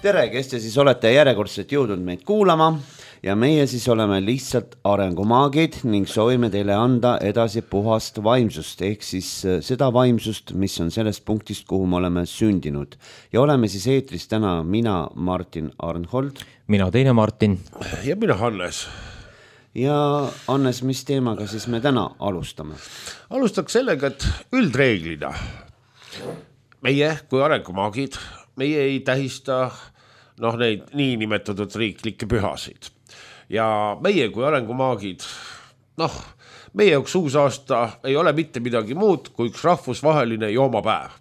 Tere, kes te siis olete järjekordselt jõudnud meid kuulama ja meie siis oleme lihtsalt arengumaagid ning soovime teile anda edasi puhast vaimsust ehk siis seda vaimsust, mis on sellest punktist, kuhu me oleme sündinud. Ja oleme siis eetris täna mina, Martin Arnhold. Mina teine Martin. Ja mina Hannes. Ja Hannes, mis teemaga siis me täna alustame? Alustaks sellega, et üldreeglina meie kui arengumaagid, meie ei tähista neid niinimetatud riiklikke pühasid. Ja meie kui arengumaagid, meie jaoks uus aasta ei ole mitte midagi muud kui üks rahvusvaheline joomapäev.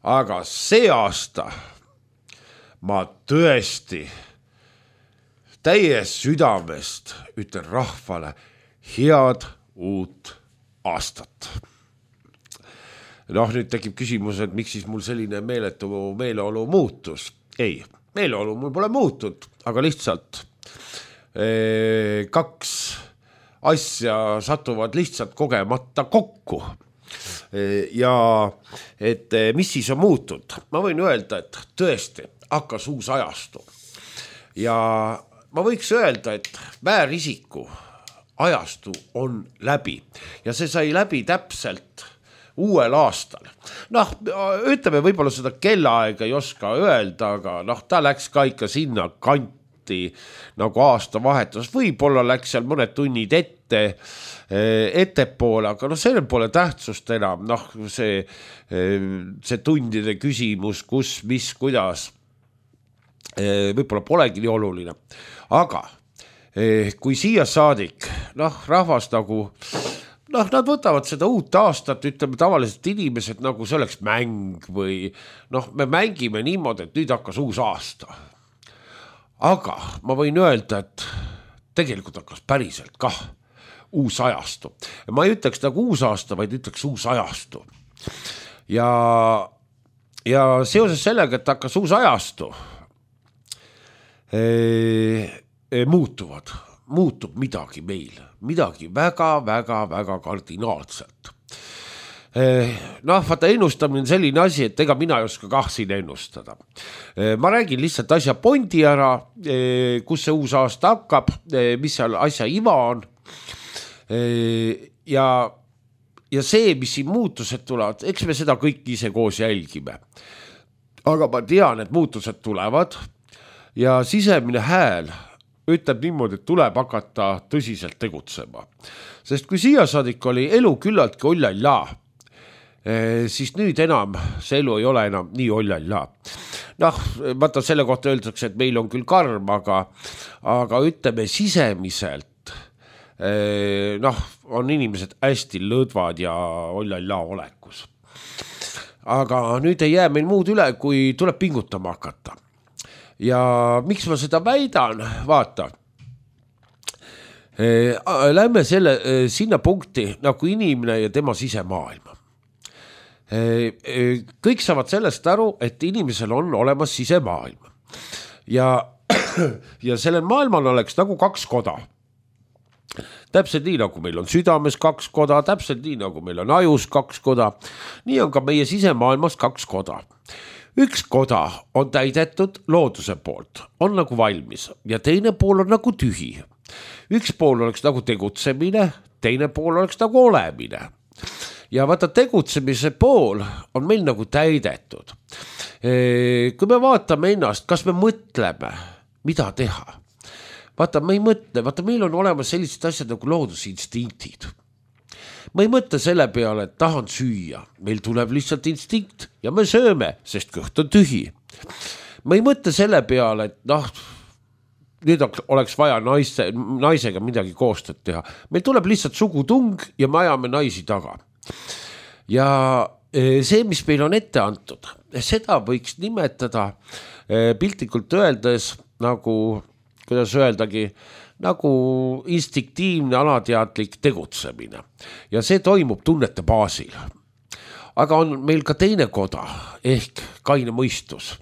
Aga see aasta ma tõesti täies südamest ütlen rahvale head uut aastat. Nüüd tekib küsimus, et miks siis mul selline meeleolu muutus? Ei, meeleolu mul pole muutud, aga lihtsalt kaks asja satuvad lihtsalt kogemata kokku. Ja et mis siis on muutud? Ma võin öelda, et tõesti hakkas uus ajastu. Ja ma võiks öelda, et väärisiku ajastu on läbi. Ja see sai läbi täpselt uuel aastal. Ütleme võib-olla seda kellaaega ei oska öelda, aga ta läks ka ikka sinna kanti nagu aasta vahetus. Võib-olla läks seal mõned tunnid ettepoole, aga sellel pole tähtsust enam. See tundide küsimus, kus, mis, kuidas, võib-olla polegi nii oluline. Aga kui siia saadik, rahvas nagu nad võtavad seda uut aastat, ütleme tavaliselt inimesed nagu see oleks mäng või me mängime niimoodi, et nüüd hakkas uus aasta. Aga ma võin öelda, et tegelikult hakkas päriselt kah uus ajastu. Ma ei ütleks nagu uus aasta, vaid ütleks uus ajastu. Ja seoses sellega, et hakkas uus ajastu, muutub midagi meil, midagi väga kardinaalselt. Vaata ennustamine on selline asi, et ega mina ei oska kah siin ennustada. Ma räägin lihtsalt asja pointi ära, kus see uus aasta hakkab, mis seal asja iva on. Ja see, mis siin muutused tulevad, eks me seda kõik ise koos jälgime. Aga ma tean, et muutused tulevad ja sisemine hääl ütleb niimoodi, et tuleb hakata tõsiselt tegutsema. Sest kui siia saadik oli elu küllaltki ollalla, siis nüüd enam, see elu ei ole enam nii ollalla. Vaata selle kohta öeldakse, et meil on küll karm, aga ütleme sisemiselt, on inimesed hästi lõdvad ja ollalla olekus. Aga nüüd ei jää meil muud üle, kui tuleb pingutama hakata. Ja miks ma seda väidan? Vaata, lähme sinna punkti nagu inimene ja tema sisemaailma. Kõik saavad sellest aru, et inimesel on olemas sisemaailm. Ja sellel maailmal oleks nagu kaks koda. Täpselt nii, nagu meil on südames kaks koda, täpselt nii, nagu meil on ajus kaks koda. Nii on ka meie sisemaailmas kaks koda. Üks koda on täidetud looduse poolt, on nagu valmis ja teine pool on nagu tühi. Üks pool oleks nagu tegutsemine, teine pool oleks nagu olemine. Ja vaata, tegutsemise pool on meil nagu täidetud. Kui me vaatame ennast, kas me mõtleme, mida teha? Vaata, me ei mõtle, vaata, meil on olemas sellised asjad nagu loodusinstiktid. Ma ei mõtle selle peale, et tahan süüa. Meil tuleb lihtsalt instinkt ja me sööme, sest kõht on tühi. Ma ei mõtle selle peale, et nüüd oleks vaja naisega midagi koostööd teha. Meil tuleb lihtsalt sugutung ja me ajame naisi taga. Ja see, mis meil on ette antud, seda võiks nimetada piltlikult öeldes nagu, kuidas öeldagi, nagu instinktiivne alateadlik tegutsemine. Ja see toimub tunnete baasil. Aga on meil ka teine koda, ehk kaine mõistus.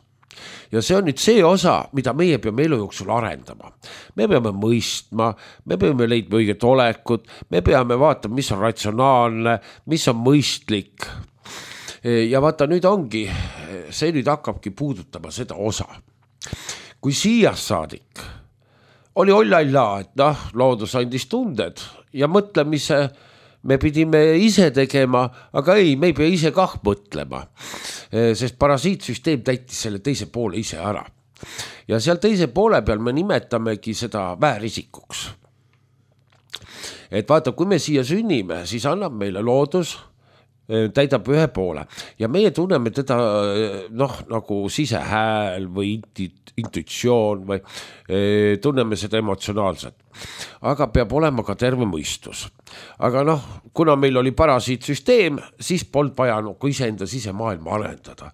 Ja see on nüüd see osa, mida meie peame elu jooksul arendama. Me peame mõistma, me peame leidma õiget olekut, me peame vaatama, mis on ratsionaalne, mis on mõistlik. Ja vaata, nüüd ongi, see nüüd hakkabki puudutama seda osa. kui siiast saadik oli ollalla, et loodus andis tunded ja mõtlemise me pidime ise tegema, aga ei, me ei pea ise kah mõtlema, sest parasiitsüsteem täitis selle teise poole ise ära. Ja seal teise poole peal me nimetamegi seda väärisikuks. Et vaata, kui me siia sünnime, siis annab meile loodus, täidab ühe poole ja meie tunneme teda nagu sisehääl või intuitsioon või tunneme seda emotsionaalselt. Aga peab olema ka terve mõistus. Aga kuna meil oli parasiitsüsteem, siis polnud vaja iseenda sisemaailma arendada.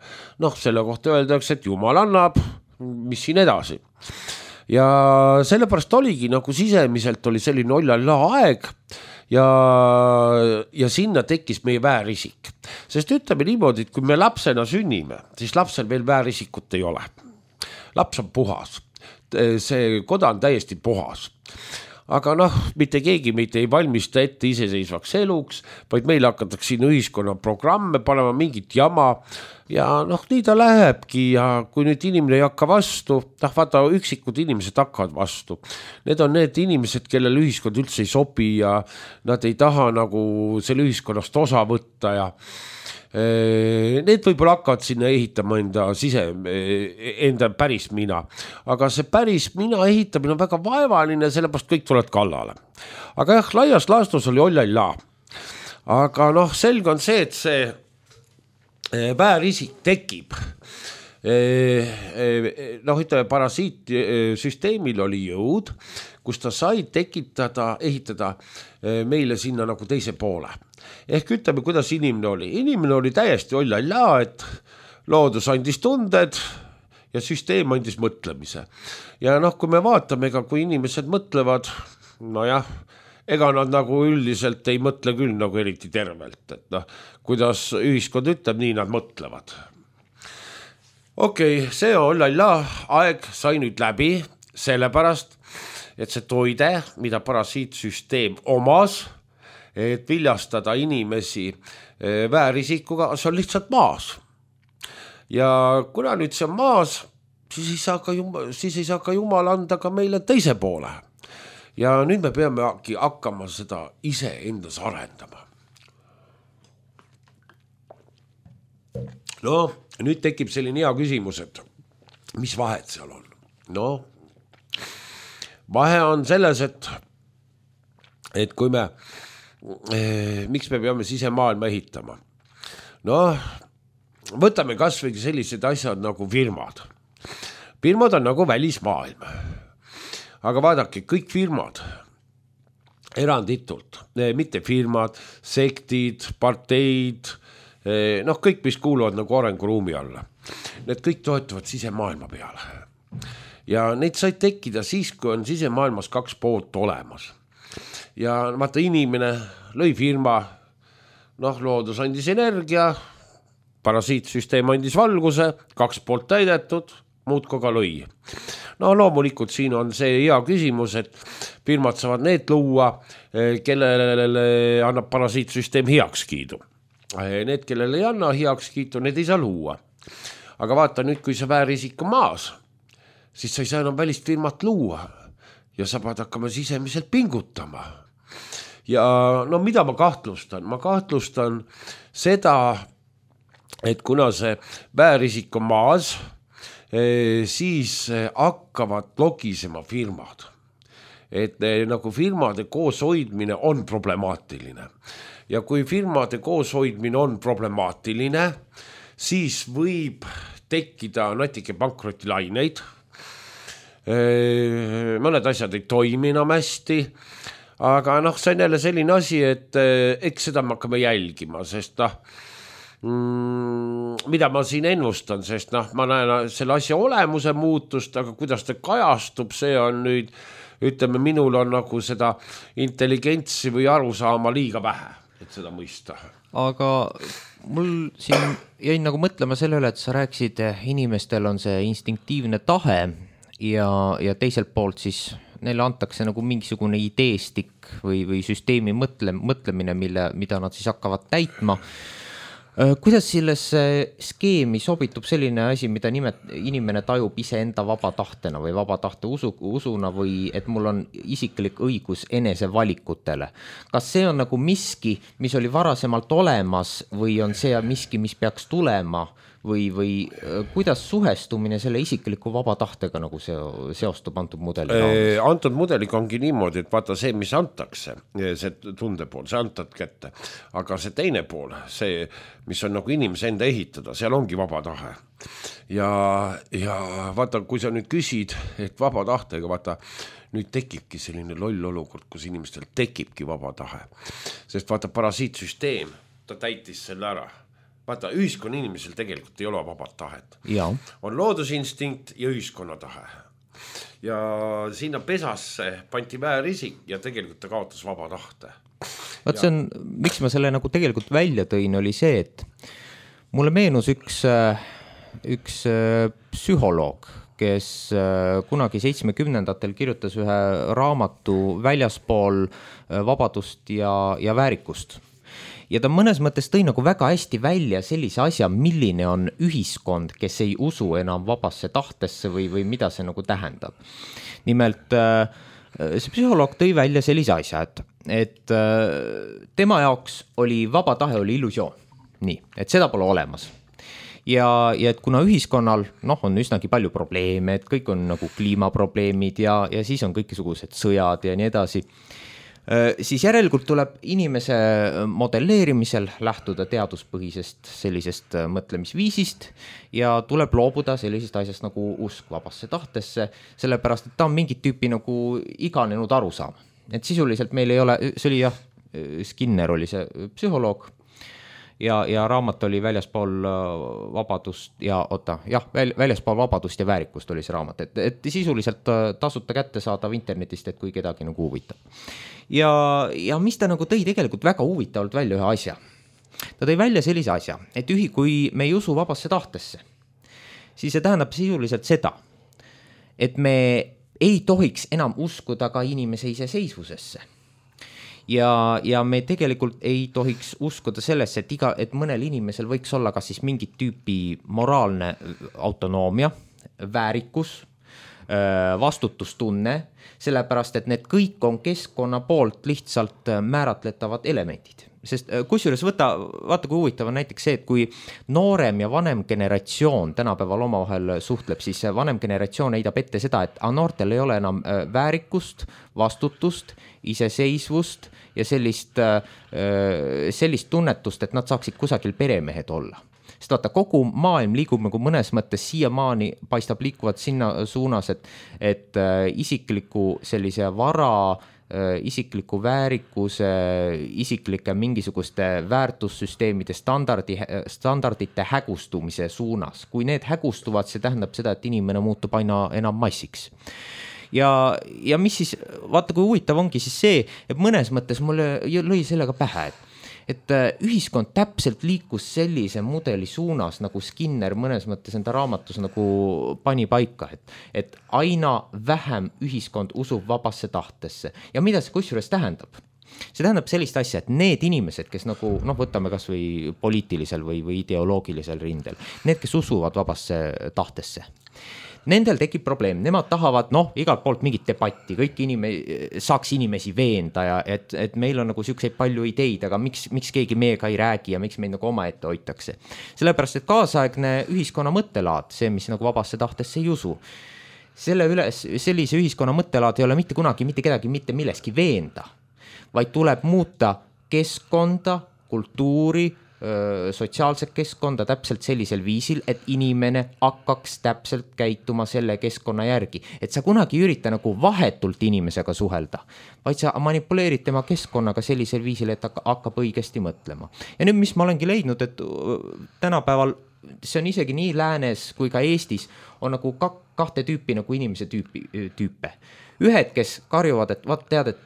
Selle kohta öeldakse, et Jumal annab, mis siin edasi. Ja sellepärast oligi sisemiselt oli selline ollalla aeg ja sinna tekkis meie väärisik. Sest ütleme niimoodi, et kui me lapsena sünnime, siis lapsel veel väärisikut ei ole. Laps on puhas. See koda on täiesti puhas. Aga mitte keegi meid ei valmista ette iseseisvaks eluks, vaid meil hakatakse siin ühiskonna programme panema mingit jama ja nii ta lähebki ja kui nüüd inimene ei hakka vastu, vaata üksikud inimesed hakkavad vastu. Need on need inimesed, kellel ühiskond üldse ei sobi ja nad ei taha selle ühiskonnast osa võtta ja need võib-olla hakkavad sinna ehitama enda päris mina. Aga see päris mina ehitamine on väga vaevaline, sellepärast kõik tulevad kallale. Aga jah, laias laastus oli ollalla. Aga selge on see, et see väärisik tekib. Ütleme, parasiitsüsteemil oli jõud, kus ta sai ehitada meile sinna teise poole. Ehk ütleme, kuidas inimene oli. Inimene oli täiesti ollalla, et loodus andis tunded ja süsteem andis mõtlemise. Ja kui me vaatame, kui inimesed mõtlevad, ega nad üldiselt ei mõtle küll eriti tervelt. Et kuidas ühiskond ütleb, nii nad mõtlevad. Okei, see ollalla aeg sai nüüd läbi sellepärast, et see toide, mida parasiitsüsteem omas, et viljastada inimesi väärisikuga, see on lihtsalt maas. Ja kuna nüüd see on maas, siis ei saa ka Jumal anda ka meile teise poole. Ja nüüd me peame hakkama seda ise endas arendama. Nüüd tekib selline hea küsimus, et mis vahet seal on? Vahe on selles, et kui miks me peame sisemaailma ehitama? Võtame kas või sellised asjad nagu firmad. Firmad on nagu välismaailm. Aga vaadake, kõik firmad, eranditult, mitte firmad, sektid, parteid, kõik, mis kuuluvad arenguruumi alla. Need kõik toetuvad sisemaailma peale. Ja neid sai tekkida siis, kui on sisemaailmas kaks poolt olemas. Ja vaata, inimene lõi firma, loodus andis energia, parasiitsüsteem andis valguse, kaks poolt täidetud, muud koga lõi. Loomulikult siin on see hea küsimus, et firmad saavad need luua, kellele annab parasiitsüsteem heakskiidu. Need, kellele ei anna heakskiitu, need ei saa luua. Aga vaata nüüd, kui see väärisik on maas, siis sa ei saa enam välist firmat luua ja sa pead hakkama sisemiselt pingutama. Ja mida ma kahtlustan? Ma kahtlustan seda, et kuna see väärisik on maas, siis hakkavad logisema firmad. Et firmade kooshoidmine on problemaatiline. Ja kui firmade kooshoidmine on problemaatiline, siis võib tekkida natuke pankrotilaineid. Mõned asjad ei toimi enam hästi, aga see on jälle selline asi, et eks seda me hakkame jälgima, sest mida ma siin ennustan, sest ma näen selle asja olemuse muutust, aga kuidas ta kajastub, see on nüüd, ütleme, minul on seda intelligentsi või arusaama liiga vähe, et seda mõista. Aga mul siin jäi mõtlema selle üle, et sa rääkisid, inimestel on see instinktiivne tahe ja teiselt poolt siis neile antakse mingisugune ideestik või süsteemi mõtlemine, mida nad siis hakkavad täitma. Kuidas sellesse skeemi sobitub selline asi, mida inimene tajub iseenda vaba tahtena või vaba tahte usuna või et mul on isiklik õigus enesevalikutele? Kas see on nagu miski, mis oli varasemalt olemas või on see miski, mis peaks tulema või kuidas suhestumine selle isikliku vaba tahtega nagu seostub antud mudeli? Antud mudeliga ongi niimoodi, et vaata see, mis antakse, see tunde pool, see antad kätte, aga see teine pool, see, mis on nagu inimese enda ehitada, seal ongi vaba tahe. Ja vaata, kui sa nüüd küsid, et vaba tahtega, vaata, nüüd tekibki selline loll olukord, kus inimestel tekibki vaba tahe. Sest vaata, parasiitsüsteem, ta täitis selle ära. Vaata, ühiskonna inimesel tegelikult ei ole vabat tahet. Ja. On loodusinstinkt ja ühiskonna tahe. Ja sinna pesasse panti väärisik ja tegelikult ta kaotas vaba tahte. Vaat see on, miks ma selle nagu tegelikult välja tõin, oli see, et mulle meenus üks psühholoog, kes kunagi 70-ndatel kirjutas ühe raamatu Väljaspool vabadust ja väärikust. Ja ta mõnes mõttes tõi nagu väga hästi välja sellise asja, milline on ühiskond, kes ei usu enam vabasse tahtesse või mida see nagu tähendab. Nimelt see psühholoog tõi välja sellise asja, et tema jaoks oli vaba tahe oli illusioon. Nii, et seda pole olemas. Ja et kuna ühiskonnal on üsnagi palju probleeme, et kõik on nagu kliimaprobleemid ja siis on kõikisugused sõjad ja nii edasi, siis järelikult tuleb inimese modelleerimisel lähtuda teaduspõhisest sellisest mõtlemisviisist ja tuleb loobuda sellisest asjast nagu usk vabasse tahtesse, sellepärast, et ta on mingit tüüpi nagu iganenud arusaam. Et sisuliselt meil ei ole, see oli Skinner oli see psühholoog ja raamat oli Väljaspool vabadust Väljaspool vabadust ja väärikust oli see raamat, et sisuliselt tasuta kättesaadav internetist, et kui kedagi nagu huvitab. Ja mis ta nagu tõi tegelikult väga huvitavalt välja ühe asja. Ta tõi välja sellise asja, et kui me ei usu vabasse tahtesse, siis see tähendab sisuliselt seda, et me ei tohiks enam uskuda ka inimese iseseisvusesse. Ja me tegelikult ei tohiks uskuda sellesse, et mõnel inimesel võiks olla kas siis mingit tüüpi moraalne autonoomia, väärikus, vastutustunne, sellepärast, et need kõik on keskkonna poolt lihtsalt määratletavad elemendid. Sest kusjuures vaata kui huvitav on näiteks see, et kui noorem ja vanem generatsioon tänapäeval omavahel suhtleb, siis vanem generatsioon heidab ette seda, et noortel ei ole enam väärikust, vastutust, iseseisvust ja sellist tunnetust, et nad saaksid kusagil peremehed olla. Sest vaata, kogu maailm liigub nagu mõnes mõttes siiamaani paistab liikuvat sinna suunas, et isikliku sellise vara, isikliku väärikuse, isiklike mingisuguste väärtussüsteemide standardite hägustumise suunas. Kui need hägustuvad, see tähendab seda, et inimene muutub aina enam massiks. Ja mis siis, vaata kui huvitav ongi siis see, et mõnes mõttes mulle lõi sellega pähe, et ühiskond täpselt liikus sellise mudeli suunas, nagu Skinner mõnes mõttes enda raamatus nagu pani paika, et aina vähem ühiskond usub vabasse tahtesse. Ja mida see kusjuures tähendab? See tähendab sellist asja, et need inimesed, kes nagu, võtame kas või poliitilisel või ideoloogilisel rindel, need, kes usuvad vabasse tahtesse, nendel tekib probleem, nemad tahavad igalt poolt mingit debatti, kõik saaks inimesi veenda ja et meil on nagu siukseid palju ideid, aga miks keegi meiega ei räägi ja miks meid nagu omaette hoitakse. Sellepärast, et kaasaegne ühiskonna mõttelaad, see, mis nagu vabasse tahtesse ei usu, sellise ühiskonna mõttelaad ei ole mitte kunagi mitte kedagi mitte milleski veenda, vaid tuleb muuta keskkonda, kultuuri, sotsiaalset keskkonda täpselt sellisel viisil, et inimene hakkaks täpselt käituma selle keskkonna järgi. Et sa kunagi ei ürita nagu vahetult inimesega suhelda, vaid sa manipuleerid tema keskkonnaga sellisel viisil, et hakkab õigesti mõtlema. Ja nüüd, mis ma olengi leidnud, et tänapäeval see on isegi nii läänes kui ka Eestis on nagu kahte tüüpi nagu inimese tüüpe. Ühed, kes karjuvad, et tead, et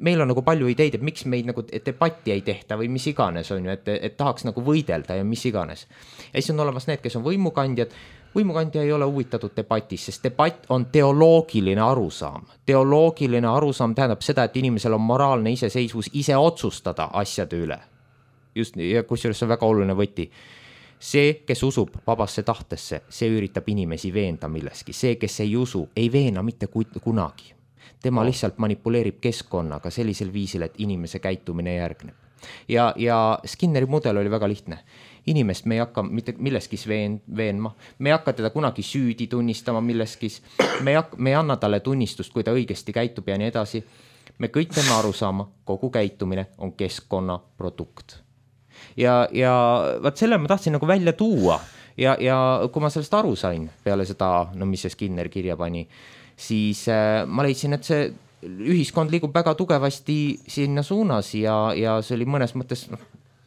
meil on nagu palju ideid, et miks meid nagu debatti ei tehta või mis iganes on ju, et tahaks nagu võidelda ja mis iganes. Ja siis on olemas need, kes on võimukandjad. Võimukandja ei ole huvitatud debatist, sest debatt on teoloogiline arusaam. Teoloogiline arusaam tähendab seda, et inimesel on moraalne iseseisvus ise otsustada asjade üle. just ja kusjuures see on väga oluline võti. See, kes usub vabasse tahtesse, see üritab inimesi veenda milleski. See, kes ei usu, ei veena mitte kunagi. Tema lihtsalt manipuleerib keskkonnaga sellisel viisil, et inimese käitumine järgneb. Ja Skinneri mudel oli väga lihtne. Inimest me ei hakka mitte milleskis veenma, me ei hakka teda kunagi süüdi tunnistama milleskis, me ei anna talle tunnistust, kui ta õigesti käitub ja nii edasi. Me kõik teeme aru saama, kogu käitumine on keskkonna produkt. Ja vaat selle ma tahtsin nagu välja tuua ja kui ma sellest aru sain peale seda, no mis see Skinner kirja pani, siis ma leidsin, et see ühiskond liigub väga tugevasti sinna suunas ja see oli mõnes mõttes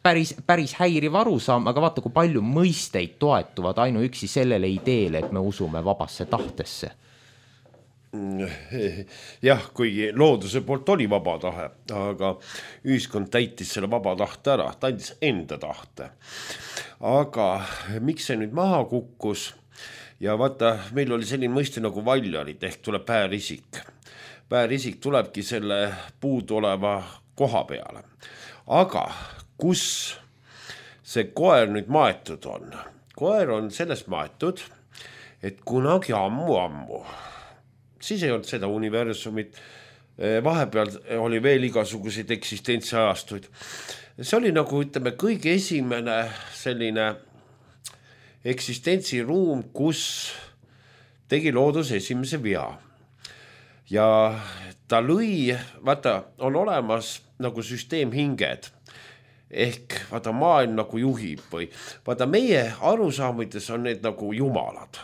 päris häiriv arusaam, aga vaata, kui palju mõisteid toetuvad ainuüksi sellele ideele, et me usume vabasse tahtesse. Jah, kuigi looduse poolt oli vaba tahe, aga ühiskond täitis selle vaba tahte ära, ta andis enda tahte. Aga miks see nüüd maha kukkus? Ja vaata, meil oli selline mõiste nagu valjarid, ehk tuleb päärisik. Päärisik tulebki selle puudu oleva koha peale. Aga kus see koer nüüd maetud on? Koer on sellest maetud, et kunagi ammu, siis ei olnud seda universumit, vahepeal oli veel igasuguseid eksistentsiajastuid. See oli nagu, ütleme, kõige esimene selline eksistentsiruum, kus tegi loodus esimese vea. Ja ta lõi, vaata, on olemas nagu süsteemhinged, ehk vaata maailm nagu juhib või vaata meie arusaamides on need nagu jumalad,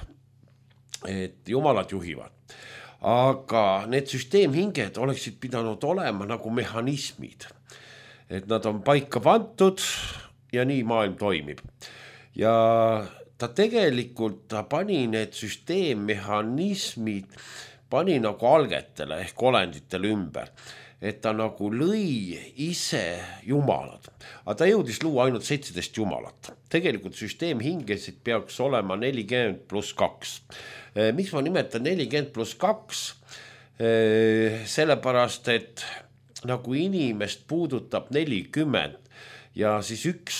et jumalad juhivad, aga need süsteemhinged oleksid pidanud olema nagu mehhanismid, et nad on paika pandud ja nii maailm toimib ja ta tegelikult pani need süsteemmehhanismid pani nagu algetele ehk olenditele ümber, et ta nagu lõi ise jumalad. Aga ta jõudis luua ainult 17 jumalat. Tegelikult süsteemhingesid peaks olema 40+2. Miks ma nimetan 40+2? Sellepärast, et nagu inimest puudutab 40 ja siis üks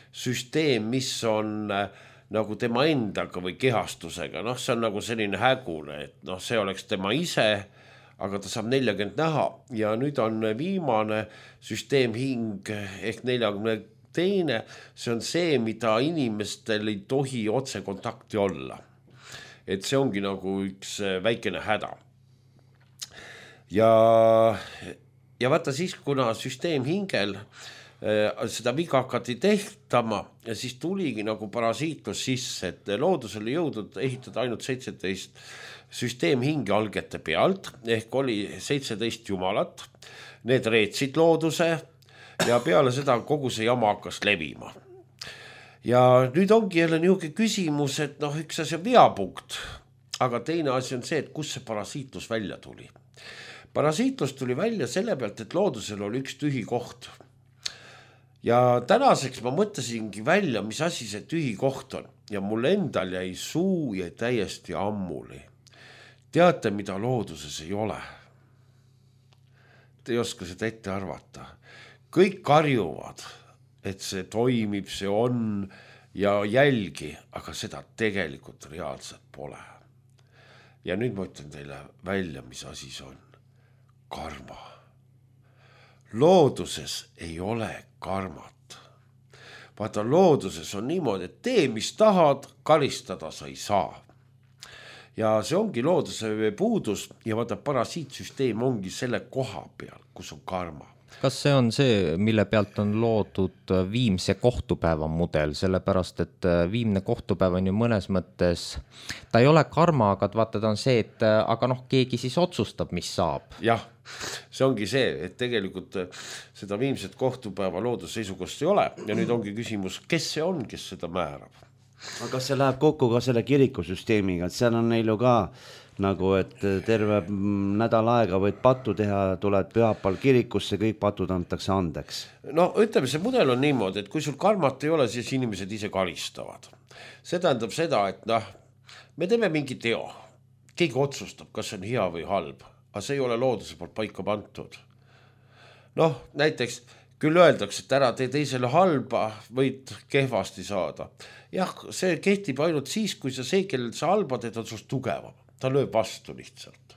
süsteem, mis on nagu tema endaga või kehastusega, see on nagu selline hägune, et see oleks tema ise, aga ta saab 40 näha ja nüüd on viimane süsteemhing ehk 42, see on see, mida inimestel ei tohi otse kontakti olla. Et see ongi nagu üks väikene häda. Ja vaata siis, kuna süsteemhingel seda viga hakati tehtama ja siis tuligi nagu parasiitlus sisse, et loodusele jõudnud ehitada ainult 17 süsteemhinge algete pealt, ehk oli 17 jumalat, need reetsid looduse ja peale seda kogu see jama hakkas levima. Ja nüüd ongi jälle niisugune küsimus, et üks asi on veapunkt, aga teine asi on see, et kus see parasiitlus välja tuli. Parasiitlus tuli välja selle pealt, et loodusel oli üks tühi koht. Ja tänaseks ma mõtlesingi välja, mis asi see tühi koht on ja mul endal jäi suu ja täiesti ammuli. Teate, mida looduses ei ole? Te ei oska seda ette arvata. Kõik karjuvad, et see toimib, see on ja jälgi, aga seda tegelikult reaalselt pole. Ja nüüd ma ütlen teile välja, mis asi see on. Karma. Looduses ei ole karmat. Vaata, looduses on niimoodi, et tee, mis tahad, karistada sa ei saa. Ja see ongi looduse puudus ja vaata, parasiitsüsteem ongi selle koha peal, kus on karma. Kas see on see, mille pealt on loodud viimse kohtupäeva mudel, sellepärast, et viimne kohtupäev on ju mõnes mõttes, ta ei ole karma, aga vaata, ta on see, et aga keegi siis otsustab, mis saab. Jah, see ongi see, et tegelikult seda viimset kohtupäeva loodusseisukost ei ole ja nüüd ongi küsimus, kes see on, kes seda määrab. Aga kas see läheb kokku ka selle kirikusüsteemiga, et seal on neil ju ka nagu, et terve nädal aega võid pattu teha, tuled pühapäeval kirikusse, kõik patud antakse andeks. Ütleme, see mudel on niimoodi, et kui sul karmat ei ole, siis inimesed ise karistavad. See tähendab seda, et me teeme mingi teo. Keegi otsustab, kas see on hea või halb, aga see ei ole looduse poolt paika pandud. Näiteks küll öeldakse, et ära tee teisele halba, võid kehvasti saada. Jah, see kehtib ainult siis, kui see, kellel sa halba teed, on sust tugevam. Ta lööb vastu lihtsalt.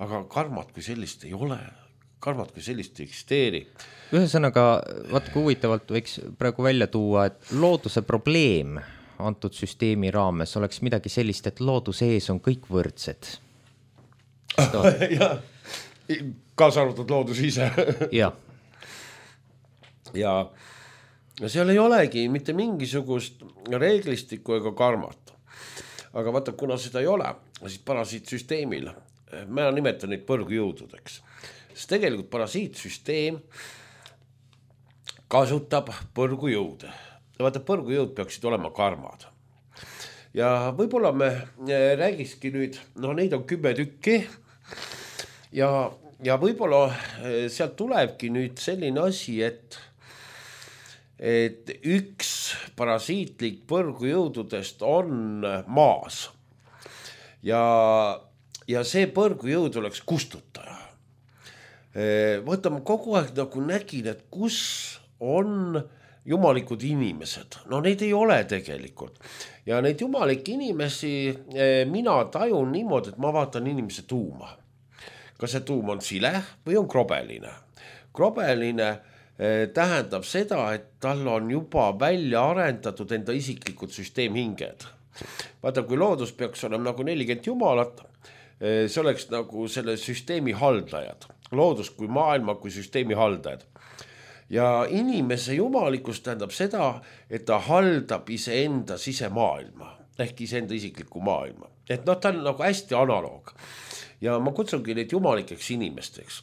Aga karmat kui sellist ei ole. Karmat kui sellist ei eksisteeri. Ühesõnaga, vaat kui huvitavalt võiks praegu välja tuua, et looduse probleem antud süsteemi raames oleks midagi sellist, et looduse ees on kõik võrdsed. Ja, kaasa arvatud loodus ise. Jah. Ja seal ei olegi mitte mingisugust reeglistikku ega karmat. Aga vaata, kuna seda ei ole, siis parasiitsüsteemil, ma nimetan neid põrgujõududeks, sest tegelikult parasiitsüsteem kasutab põrgujõude. Ja vaata, põrgujõud peaksid olema karmad. Ja võib-olla me räägikski nüüd, neid on 10 tükki ja võib-olla sealt tulebki nüüd selline asi, et üks parasiitlik põrgujõududest on maas ja see põrgujõud oleks kustutaja. Võtame kogu aeg nagu nägin, et kus on jumalikud inimesed. Neid ei ole tegelikult. Ja neid jumalikke inimesi mina tajun niimoodi, et ma vaatan inimese tuuma. Kas see tuum on sile või on krobeline? Krobeline tähendab seda, et tal on juba välja arendatud enda isiklikud süsteemhinged. Vaata, kui loodus peaks olema nagu 40 jumalat, see oleks nagu selle süsteemi haldajad. Loodus kui maailma, kui süsteemi haldajad. Ja inimese jumalikus tähendab seda, et ta haldab iseenda sisemaailma, ehk iseenda isikliku maailma. Et ta on nagu hästi analoog. Ja ma kutsungi neid jumalikeks inimesteks.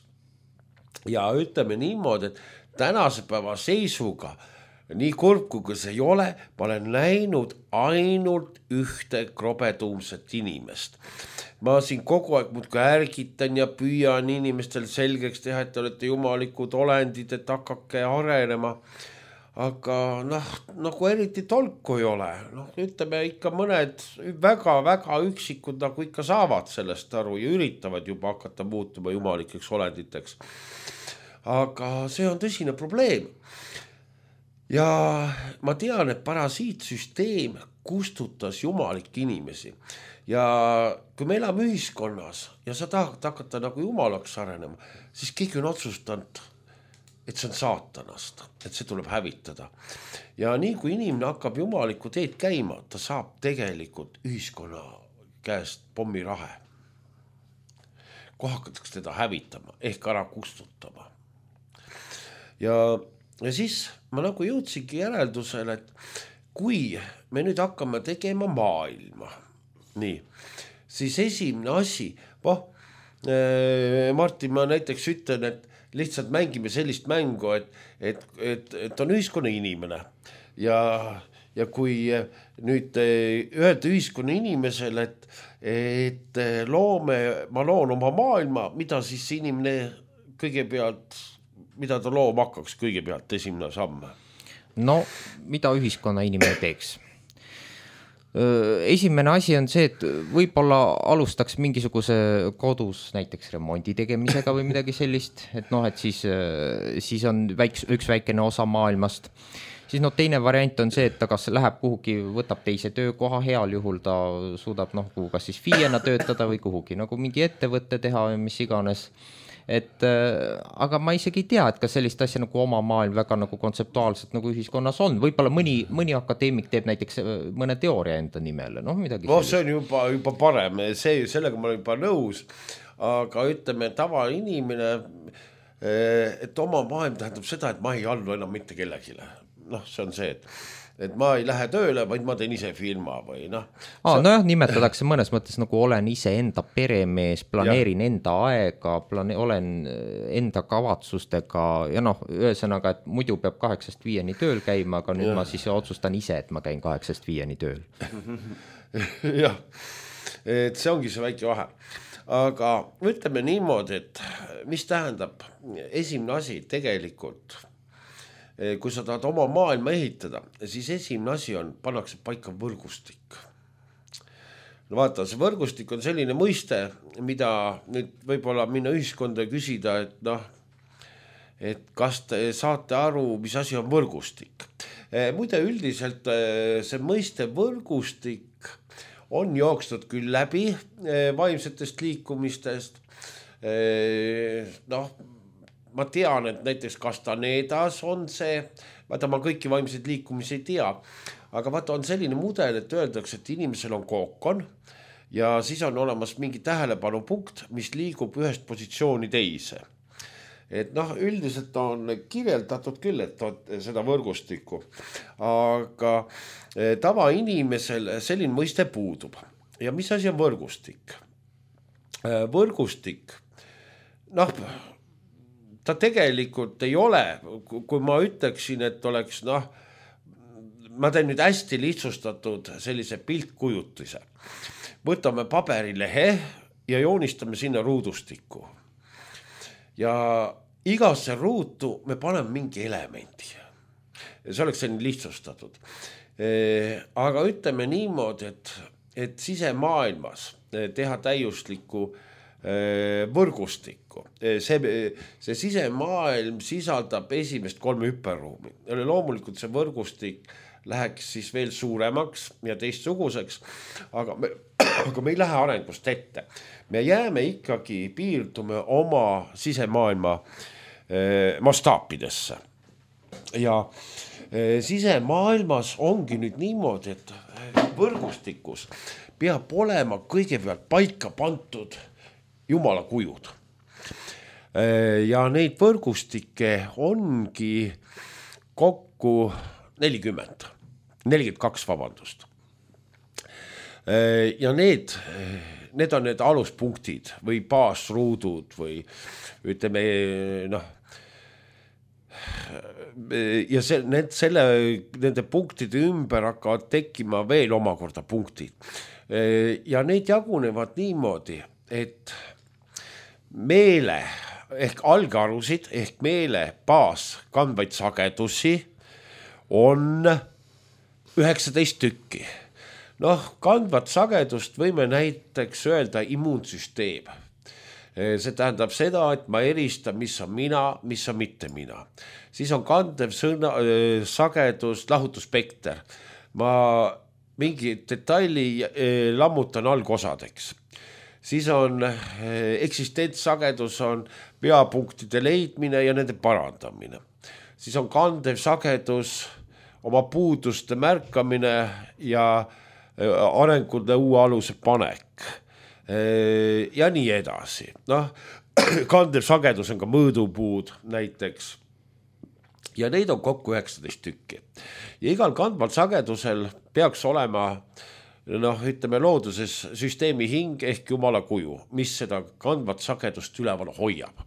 Ja ütleme niimoodi, et tänase päeva seisuga, nii kurb kui see ei ole, ma olen näinud ainult ühte krobetuumset inimest. Ma siin kogu aeg muudkui ärgitan ja püüan inimestel selgeks teha, et te olete jumalikud olendid, et hakake arenema. Aga nagu eriti tolku ei ole. Ütleme ikka mõned väga-väga üksikud nagu ikka saavad sellest aru ja üritavad juba hakata muutuma jumalikeks olenditeks. Aga see on tõsine probleem. Ja ma tean, et parasiitsüsteem kustutas jumalikke inimesi. Ja kui me elame ühiskonnas ja sa tahad hakata nagu jumalaks arenema, siis keegi on otsustanud, et see on saatanast, et see tuleb hävitada. Ja nii kui inimene hakkab jumalikku teed käima, ta saab tegelikult ühiskonna käest pommirahe. Kui hakatakse teda hävitama ehk ära kustutama. Ja siis ma nagu jõudsingi järeldusele, et kui me nüüd hakkame tegema maailma, nii, siis esimene asi, Martin, ma näiteks ütlen, et lihtsalt mängime sellist mängu, et on ühiskonna inimene ja kui nüüd öelda ühiskonna inimesele, et ma loon oma maailma, mida siis inimene kõigepealt, mida ta looma hakkaks kõigepealt esimene samm? Mida ühiskonna inimene teeks? Esimene asi on see, et võib-olla alustaks mingisuguse kodus näiteks remondi tegemisega või midagi sellist, et siis on üks väikene osa maailmast. Siis teine variant on see, et ta kas läheb kuhugi, võtab teise töökoha, heal juhul ta suudab kas siis FIE-na töötada või kuhugi nagu mingi ettevõtte teha või mis iganes. Aga ma isegi ei tea, et kas sellist asja nagu oma maailm väga nagu kontseptuaalselt nagu ühiskonnas on. Võib-olla mõni akadeemik teeb näiteks mõne teooria enda nimele. Midagi see on juba parem, sellega ma olen juba nõus, aga ütleme tavainimene, et oma maailm tähendab seda, et ma ei allu enam mitte kellegile. See on see, et ma ei lähe tööle, vaid ma teen ise firma või nimetatakse mõnes mõttes nagu olen ise enda peremees, planeerin enda aega, olen enda kavatsustega ja ühesõnaga, et muidu peab 8-5 tööl käima, aga nüüd ma siis otsustan ise, et ma käin 8-5 tööl. Jah, et see ongi see väike vahe. Aga ütleme niimoodi, et mis tähendab esimene asi tegelikult, kui sa tahad oma maailma ehitada, siis esimene asi on, pannakse paika võrgustik. Vaata, see võrgustik on selline mõiste, mida nüüd võib-olla minna ühiskonda ja küsida, et kas te saate aru, mis asi on võrgustik. Muide, üldiselt see mõiste võrgustik on jooksnud küll läbi vaimsetest liikumistest. Noh, ma tean, et näiteks Castanedas on see, vaata ma kõiki vaimseid liikumisi ei tea, aga vaata on selline mudel, et öeldakse, et inimesel on kookon ja siis on olemas mingi tähelepanupunkt, mis liigub ühest positsiooni teise. Et noh, üldiselt on kirjeldatud küll, et seda võrgustikku, aga tavainimesel selline mõiste puudub. Ja mis asi on võrgustik? Võrgustik, noh, ta tegelikult ei ole, kui ma ütleksin, et oleks, noh, ma teen nüüd hästi lihtsustatud sellise piltkujutise. Võtame paberilehe ja joonistame sinna ruudustikku. Ja igasse ruutu me paneme mingi elemendi. See oleks selline lihtsustatud. Aga ütleme niimoodi, et sisemaailmas teha täiuslikku võrgustikku. See sisemaailm sisaldab esimest 3 hüperruumi. Loomulikult see võrgustik läheks siis veel suuremaks ja teistsuguseks, aga me ei lähe arengust ette. Me jääme ikkagi, piirdume oma sisemaailma mastaapidesse. Ja sisemaailmas ongi nüüd niimoodi, et võrgustikus peab olema kõigepealt paika pantud Jumala kujud. Ja neid võrgustikke ongi kokku 42, vabandust. Ja need on need aluspunktid või baasruudud või ütleme, noh, ja nende punktide ümber hakkavad tekkima veel omakorda punktid. Ja neid jagunevad niimoodi, et meele ehk algarusid ehk meele baas kandvaid sagedusi on 19 tükki. Noh, kandvat sagedust võime näiteks öelda immuunsüsteem. See tähendab seda, et ma eristan, mis on mina, mis on mitte mina. Siis on kandev sagedus, lahutusspekter. Ma mingi detaili lammutan algosadeks. Siis on eksistentsagedus, on peapunktide leidmine ja nende parandamine. Siis on kandev sagedus, oma puuduste märkamine ja arengude uue aluse panek ja nii edasi. Noh, kandev sagedus on ka mõõdupuud näiteks ja neid on kokku 19 tükki. Ja igal kandval sagedusel peaks olema, noh, ütleme looduses süsteemi hing ehk Jumala kuju, mis seda kandvat sagedust üleval hoiab.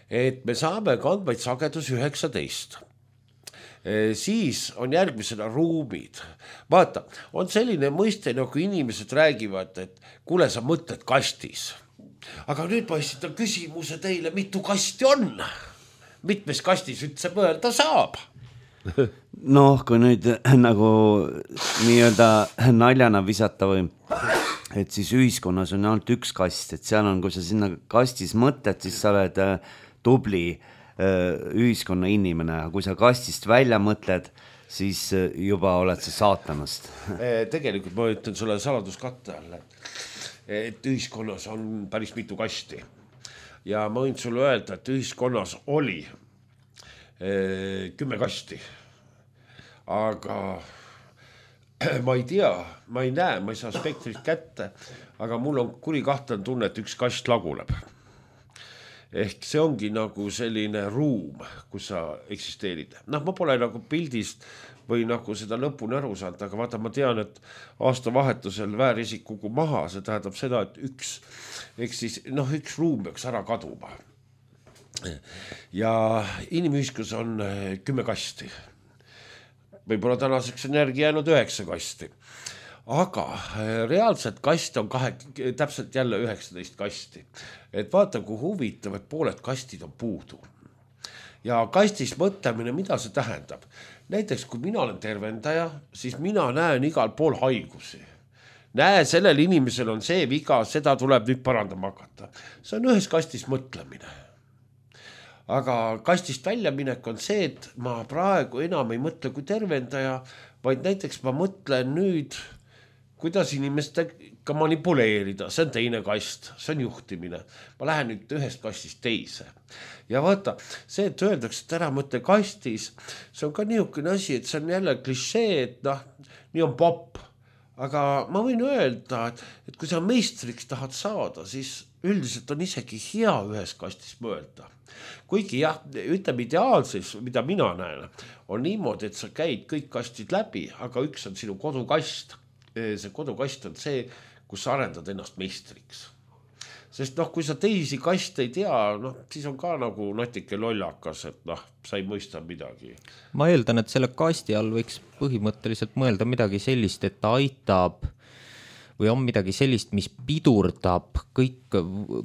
Et me saame kandvaid sagedus 19. Siis on järgmisena ruumid. Vaata, on selline mõiste, nagu inimesed räägivad, et kuule, sa mõtled kastis. Aga nüüd ma esitan küsimuse teile, mitu kasti on? Mitmes kastis üldse mõelda saab? Noh, kui nüüd nagu nii-öelda naljana visata või, et siis ühiskonnas on ainult üks kast, et seal on, kui sa sinna kastis mõtled, siis sa oled tubli ühiskonna inimene, kui sa kastist välja mõtled, siis juba oled sa saatanast. Tegelikult ma ütlen sulle saladuskatte all, et ühiskonnas on päris mitu kasti. Ja ma võin sulle öelda, et ühiskonnas oli 10 kasti. Aga ma ei tea, ma ei näe, ma ei saa spektrit kätte, aga mul on kuri kahtlen tunne, et üks kast laguneb. Ehk see ongi nagu selline ruum, kus sa eksisteerid. Noh, ma pole nagu pildist või nagu seda lõpuni aru saanud, aga vaata, ma tean, et aastavahetusel väärisik kukub maha, see tähendab seda, et üks ruum peaks ära kaduma. Ja inimühiskus on 10 kasti. Võib-olla tänaseks energia jäänud 9 kasti. Aga reaalselt kast on täpselt jälle 19 kasti. Et vaata, kui huvitav, et pooled kastid on puudu. Ja kastis mõtlemine, mida see tähendab? Näiteks, kui mina olen tervendaja, siis mina näen igal pool haigusi. Näe, sellel inimesel on see viga, seda tuleb nüüd parandama hakata. See on ühes kastis mõtlemine. aga kastist väljaminek on see, et ma praegu enam ei mõtle kui tervendaja, vaid näiteks ma mõtlen nüüd, kuidas inimestega manipuleerida, see on teine kast, see on juhtimine. Ma lähen nüüd ühest kastist teise. Ja vaata, see, et öeldakse, et ära mõtle kastis, see on ka niisugune asi, et see on jälle klišee, et noh, nii on popp. Aga ma võin öelda, et kui sa meistriks tahad saada, siis üldiselt on isegi hea ühes kastis mõelda. Kuigi jah, ütleme ideaalses, mida mina näen, on niimoodi, et sa käid kõik kastid läbi, aga üks on sinu kodukast. See kodukast on see, kus sa arendad ennast meistriks. Sest noh, kui sa teisi kaste ei tea, noh, siis on ka nagu natuke lollakas, et noh, sa ei mõista midagi. Ma eeldan, et selle kasti all võiks põhimõtteliselt mõelda midagi sellist, et ta aitab või on midagi sellist, mis pidurdab kõik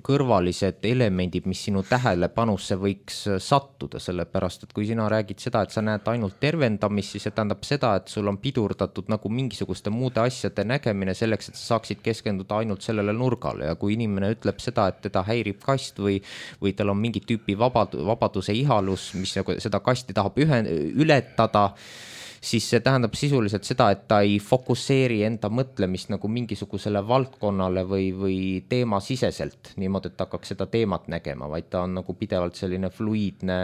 kõrvalised elemendid, mis sinu tähelepanusse võiks sattuda, sellepärast, et kui sina räägid seda, et sa näed ainult tervendamist, siis see tähendab seda, et sul on pidurdatud nagu mingisuguste muude asjade nägemine selleks, et sa saaksid keskenduda ainult sellele nurgale ja kui inimene ütleb seda, et teda häirib kast või tal on mingi tüüpi vabaduse ihalus, mis seda kasti tahab ületada, siis see tähendab sisuliselt seda, et ta ei fokusseeri enda mõtlemist nagu mingisugusele valdkonnale või teemasiseselt, niimoodi, et ta hakkaks seda teemat nägema, vaid ta on nagu pidevalt selline fluiidne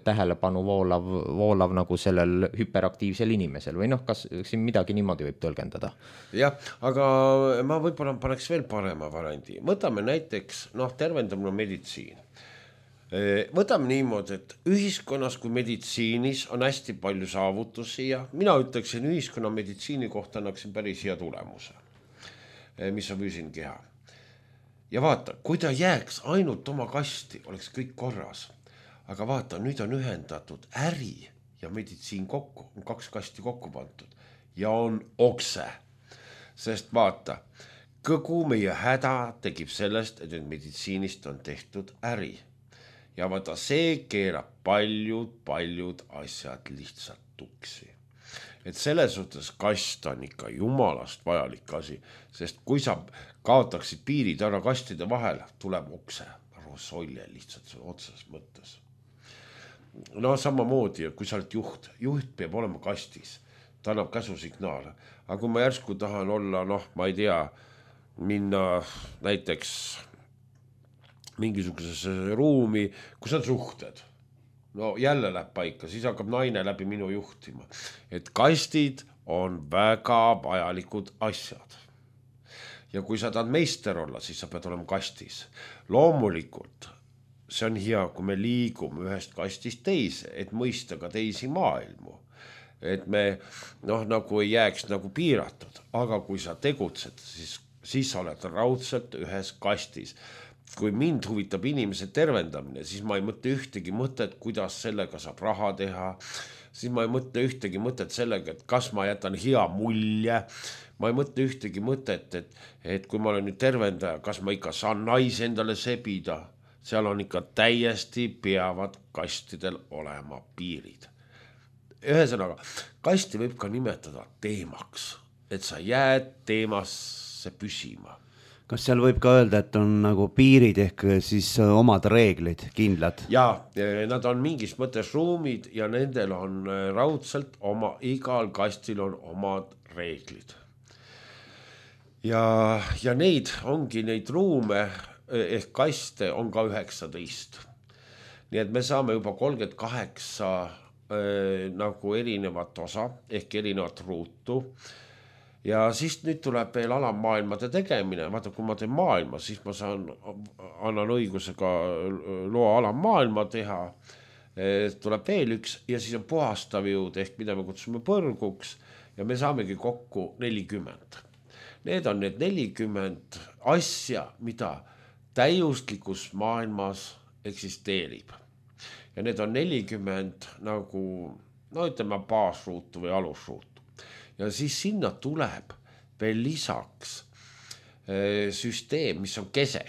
tähelepanu voolav nagu sellel hüperaktiivsel inimesel või noh, kas siin midagi niimoodi võib tõlgendada? Jah, aga ma võib-olla paneks veel parema variandi. Võtame näiteks, tervendamine meditsiin. Võtame niimoodi, et ühiskonnas kui meditsiinis on hästi palju saavutusi ja mina ütleksin ühiskonna meditsiini kohta annaksin päris hea tulemuse, mis on füüsiline keha. Ja vaata, kui ta jääks ainult oma kasti, oleks kõik korras. Aga vaata, nüüd on ühendatud äri ja meditsiin kokku, on 2 kasti kokku pandud ja on okse. Sest vaata, kogu meie häda tegib sellest, et meditsiinist on tehtud äri. Ja vaata, see keerab paljud asjad lihtsalt tuksi. Et selles suhtes kast on ikka jumalast vajalik asi, sest kui sa kaotaksid piirid ära kastide vahel, tuleb okse, rosolje lihtsalt otseses mõttes. No samamoodi, kui sa oled juht peab olema kastis, ta annab käsusignaale. Aga kui ma järsku tahan olla, ma ei tea, minna näiteks mingisugusesse ruumi, kus on suhted. No jälle läheb paika, siis hakkab naine läbi minu juhtima. Et kastid on väga vajalikud asjad. Ja kui sa tahad meister olla, siis sa pead olema kastis. Loomulikult, see on hea, kui me liigume ühest kastist teise, et mõista ka teisi maailmu. Et me nagu ei jääks nagu piiratud. Aga kui sa tegutsed, siis sa oled raudselt ühes kastis. Kui mind huvitab inimese tervendamine, siis ma ei mõtle ühtegi mõtet, kuidas sellega saab raha teha. Siis ma ei mõtle ühtegi mõtet sellega, et kas ma jätan hea mulje. Ma ei mõtle ühtegi mõtet, et kui ma olen nüüd tervendaja, kas ma ikka saan naise endale sebida. Seal on ikka täiesti peavad kastidel olema piirid. Ühesõnaga, kasti võib ka nimetada teemaks, et sa jääd teemasse püsima. Kas seal võib ka öelda, et on nagu piirid ehk siis omad reeglid, kindlad? Jaa, nad on mingis mõttes ruumid ja nendel on raudselt igal kastil on omad reeglid. Ja neid ongi neid ruume ehk kaste on ka 19. Nii et me saame juba 38 nagu erinevat osa ehk erinevat ruutu. Ja siis nüüd tuleb veel alammaailmade tegemine. Vaata, kui ma teen maailma, siis ma annan õigusega loa alammaailma teha. Tuleb veel üks ja siis on puhastav jõud ehk mida me kutsume põrguks ja me saamegi kokku 40. Need on need 40 asja, mida täiuslikus maailmas eksisteerib. Ja need on 40 nagu, ütleme baasruutu või alusruutu. Ja siis sinna tuleb veel lisaks süsteem, mis on kese.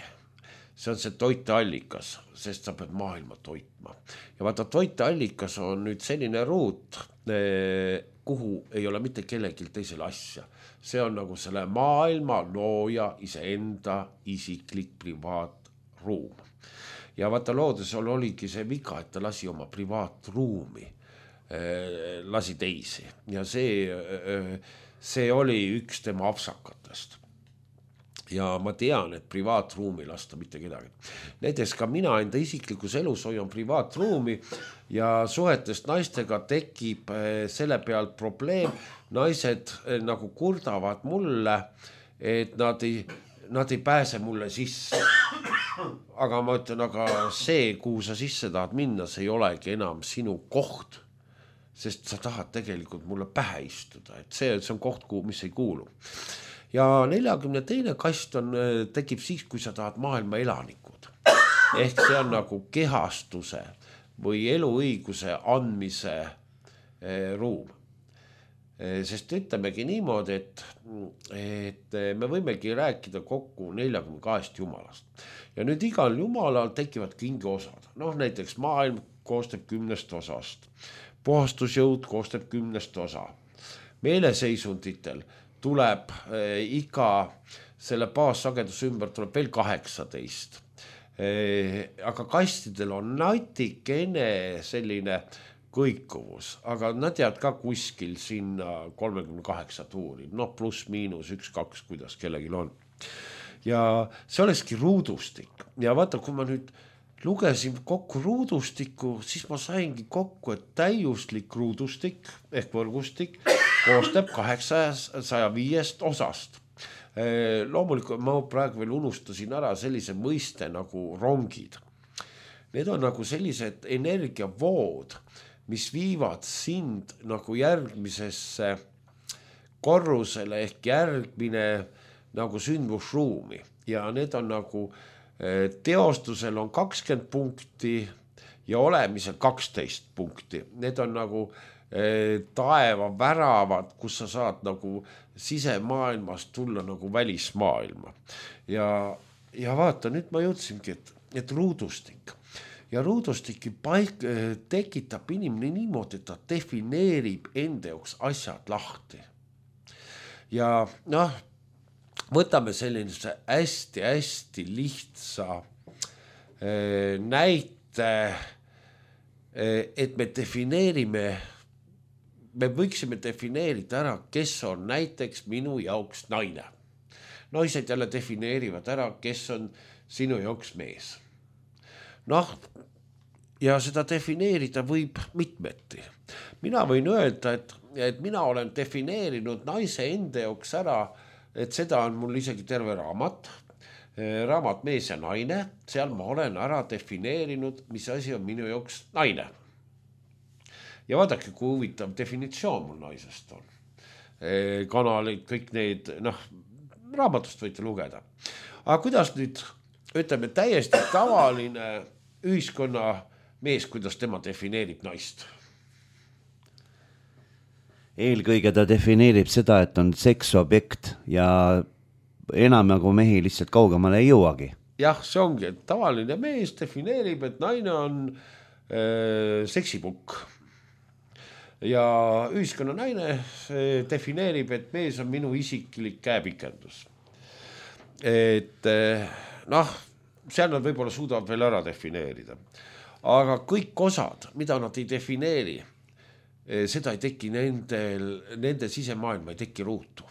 See on see toiteallikas, sest sa pead maailma toitma. Ja vaata, toiteallikas on nüüd selline ruut, kuhu ei ole mitte kellelgi teisel asja. See on nagu selle maailma looja iseenda isiklik privaatruum. ja vaata loodusel oligi see viga, et ta lasi oma privaatruumi, lasi teisi ja see oli üks tema apsakatest. Ja ma tean, et privaatruumi lasta mitte kedagi. Näiteks ka mina enda isiklikus elus hoian privaatruumi ja suhetest naistega tekib selle pealt probleem. Naised nagu kurdavad mulle, et nad ei pääse mulle sisse. Aga ma ütlen, aga see, kuhu sa sisse tahad minna, see ei olegi enam sinu koht, sest sa tahad tegelikult mulle pähe istuda, et see on koht, mis ei kuulu. Ja 42. kast tekib siis, kui sa tahad maailma elanikud. Ehk see on nagu kehastuse või eluõiguse andmise ruum. Sest ütlemegi niimoodi, et me võimegi rääkida kokku 42 jumalast. Ja nüüd igal jumalal tekivad kingiosad. Näiteks maailm koostab 10 osast. Puhastusjõud koostab 10 osa. Meeleseisunditel tuleb iga selle baassageduse ümber tuleb veel 18. Aga kastidel on natikene selline kõikuvus, aga nad jäävad ka kuskil sinna 38 tuuri, pluss miinus 1-2, kuidas kellelgi on. Ja see olekski ruudustik. Ja vaata, kui ma nüüd lugesin kokku ruudustiku, siis ma saingi kokku, et täiuslik ruudustik ehk võrgustik koostab 805 osast. Loomulikult ma praegu veel unustasin ära sellise mõiste nagu rongid. Need on nagu sellised energiavood, mis viivad sind nagu järgmisesse korrusele ehk järgmine nagu sündmusruumi. Ja need on nagu teostusel on 20 punkti ja olemisel 12 punkti. Need on nagu taeva väravad, kus sa saad nagu sisemaailmast tulla nagu välismaailma. Ja vaata, nüüd ma jõudsingi, et ruudustik. Ja ruudustiki tekitab inimene niimoodi, et ta defineerib enda jaoks asjad lahti. Ja võtame sellise hästi lihtsa näite, et me võiksime defineerida ära, kes on näiteks minu jaoks naine. Naised jälle defineerivad ära, kes on sinu jaoks mees. Ja seda defineerida võib mitmeti. Mina võin öelda, et mina olen defineerinud naise enda jaoks ära, et seda on mul isegi terve raamat Mees ja naine, seal ma olen ära defineerinud, mis asi on minu jaoks naine. Ja vaadake, kui huvitav definitsioon mul naisest on. Kanalid, kõik need, raamatust võite lugeda. Aga kuidas nüüd, ütleme, täiesti tavaline ühiskonna mees, kuidas tema defineerib naist? Eelkõige ta defineerib seda, et on seksobjekt ja enam nagu mehi lihtsalt kaugemale ei jõuagi. Jah, see ongi, et tavaline mees defineerib, et naine on seksipukk. Ja ühiskonna naine defineerib, et mees on minu isiklik käepikendus. Et seal nad võib-olla suudavad veel ära defineerida. Aga kõik osad, mida nad ei defineeri, seda ei teki nende sisemaailma, ei teki ruutu.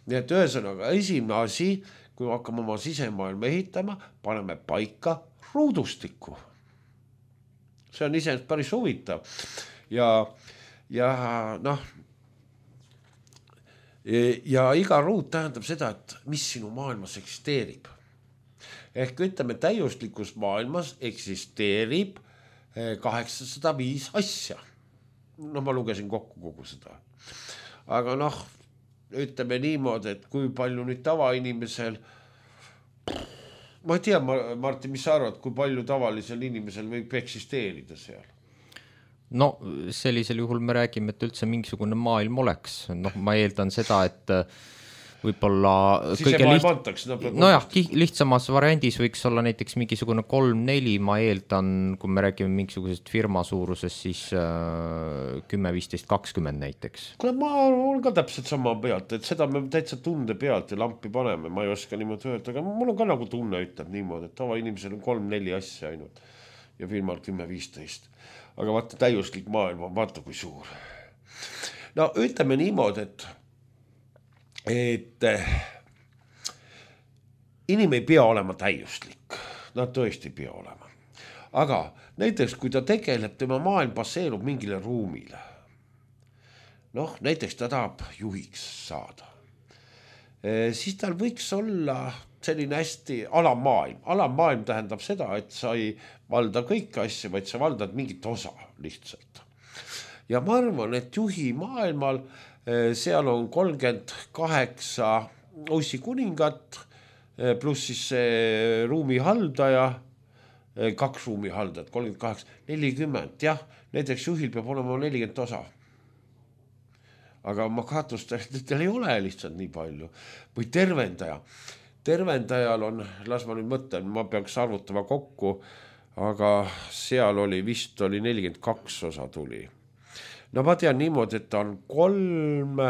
Nii et ühesõnaga, esimene asi, kui hakkame oma sisemaailma ehitama, paneme paika ruudustiku. See on iseenesest päris huvitav. Ja iga ruut tähendab seda, et mis sinu maailmas eksisteerib. Ehk ütleme, täiuslikus maailmas eksisteerib 805 asja. Ma lugesin kokku kogu seda. Aga ütleme niimoodi, et kui palju nüüd tavainimesel, ma ei tea, Martin, mis sa arvad, kui palju tavalisel inimesel võib eksisteerida seal? Sellisel juhul me räägime, et üldse mingisugune maailm oleks. Ma eeldan seda, et võib-olla sisemaailm antakse. Nojah, lihtsamas variandis võiks olla näiteks mingisugune 3-4, ma eeldan, kui me räägime mingisugusest firma suurusest, siis 10, 15, 20 näiteks. Kuule, ma olen ka täpselt sama pealt, et seda me täitsa tunde pealt ja lampi paneme, ma ei oska niimoodi öelda, aga mul on ka nagu tunne ütleb niimoodi, et tavainimesel on 3-4 asja ainult ja firmal 10-15. Aga vaata, täiuslik maailm on, vaata kui suur. No ütleme niimoodi, et inim ei pea olema täiuslik, nad tõesti ei pea olema. Aga näiteks, kui ta tegeleb, tema maailm baseerub mingile ruumile. Noh, näiteks ta tahab juhiks saada. Siis tal võiks olla selline hästi alamaailm. Alamaailm tähendab seda, et sa ei valda kõiki asju, vaid sa valdad mingit osa lihtsalt. Ja ma arvan, et juhi maailmal seal on 38 Ossi kuningat, pluss siis see ruumihaldaja, 2 ruumihaldajat, 38, 40, jah, näiteks juhil peab olema 40 osa. Aga ma kahtlustan, et tal ei ole lihtsalt nii palju. Või tervendaja. Tervendajal on, las ma nüüd mõtlen, ma peaks arvutama kokku, aga seal oli vist 42 osa tuli. No ma tean niimoodi, et ta on 3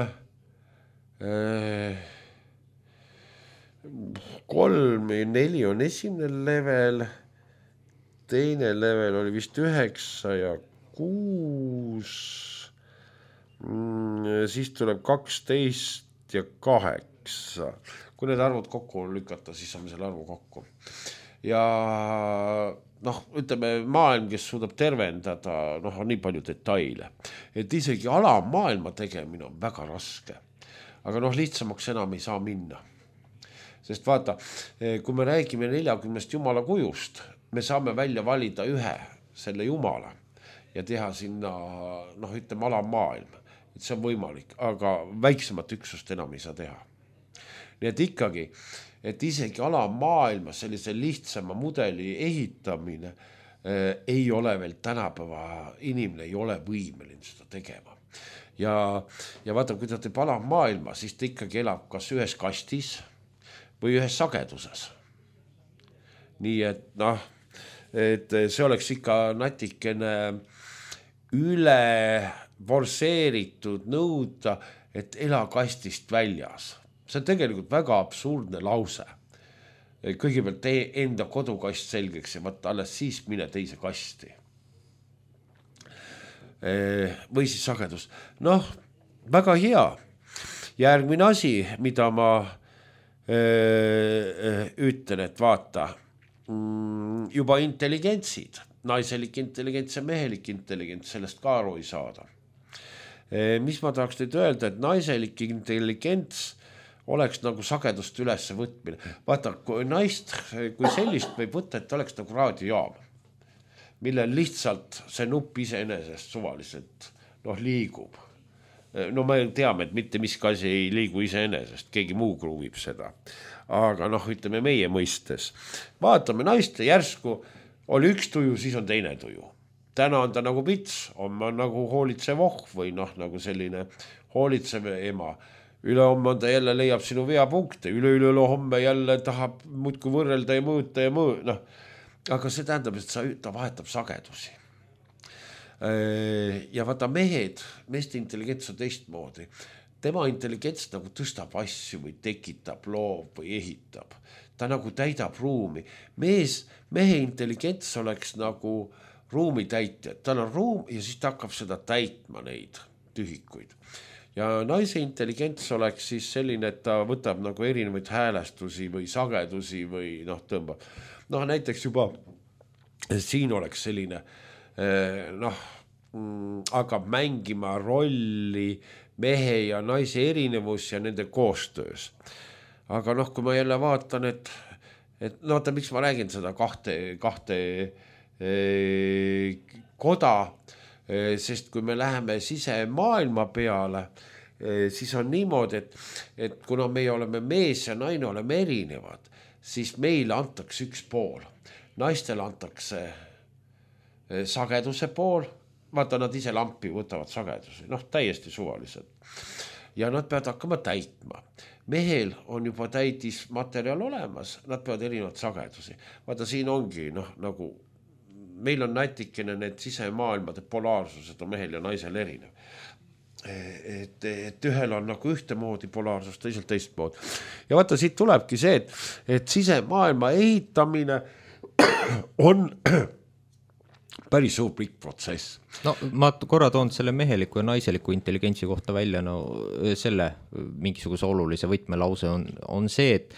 ja 4 on esimene level, teine level oli vist 9 ja 6, siis tuleb 12 ja 8. Kui need arvud kokku lükata, siis saame selle arvu kokku. Ja noh, ütleme maailm, kes suudab tervendada, noh, on nii palju detaile, et isegi alamaailma tegemine on väga raske. Aga noh, lihtsamaks enam ei saa minna. Sest vaata, kui me räägime 40 jumala kujust, me saame välja valida ühe selle jumala ja teha sinna, noh, ütleme alamaailm. Et see on võimalik, aga väiksemat üksust enam ei saa teha. Nii et ikkagi, et isegi alamaailmas sellise lihtsama mudeli ehitamine ei ole veel tänapäeva, inimene ei ole võimeline seda tegema. Ja vaata, kui ta teeb alamaailma, siis ta ikkagi elab kas ühes kastis või ühes sageduses. Nii et noh, et see oleks ikka natikene üle forseeritud nõuda, et ela kastist väljas. See on tegelikult väga absurdne lause. Kõigepealt tee enda kodukast selgeks ja võtta alles siis mine teise kasti. Või siis sagedus. Noh, väga hea. Järgmine asi, mida ma ütlen, et vaata, juba intelligentsid, naiselik intelligents ja mehelik intelligents, sellest ka aru ei saada. Mis ma tahaks teid öelda, et naiselik intelligents oleks nagu sagedust ülesse võtmine. Vaata, kui naist, kui sellist võib võtta, et oleks nagu raadiojaam, millel lihtsalt see nupp iseenesest suvaliselt liigub. No me teame, et mitte miski asi ei liigu iseenesest, keegi muu kruuvib seda. Aga ütleme meie mõistes. Vaatame naiste järsku, oli üks tuju, siis on teine tuju. Täna on ta nagu pits, on nagu hoolitsev või nagu selline hoolitsev ema. Ülehomme on ta jälle leiab sinu veapunkte, üle homme jälle tahab muudkui võrrelda ja mõõta ja Aga see tähendab, et ta vahetab sagedusi. Ja vaata meeste intelligents on teistmoodi. Tema intelligents nagu tõstab asju või tekitab, loob või ehitab. Ta nagu täidab ruumi. Mehe intelligents oleks nagu ruumi täitja. Tal on ruum ja siis ta hakkab seda täitma neid tühikuid. Ja naise intelligents oleks siis selline, et ta võtab nagu erinevaid häälestusi või sagedusi või tõmbab. Näiteks juba siin oleks selline, hakkab mängima rolli mehe ja naise erinevus ja nende koostöös. Aga kui ma jälle vaatan, et oota, miks ma räägin seda kahte koda, sest kui me läheme sisemaailma peale, siis on niimoodi, et kuna meie oleme mees ja naine oleme erinevad, siis meile antakse üks pool. Naistele antakse sageduse pool, vaata nad ise lampi võtavad sagedusi, täiesti suvaliselt. ja nad peavad hakkama täitma. Mehel on juba täidismaterjal olemas, nad peavad erinevad sagedusi. Vaata, siin ongi nagu meil on natikene need sisemaailmade polaarsused on mehel ja naisel erinev. Et ühel on nagu ühtemoodi polaarsus, teisel teistmoodi. Ja vaata, siit tulebki see, et sisemaailma ehitamine on päris suur pikk protsess. No ma korra toon selle meheliku ja naiseliku intelligentsi kohta välja, selle mingisuguse olulise võtmelause on see, et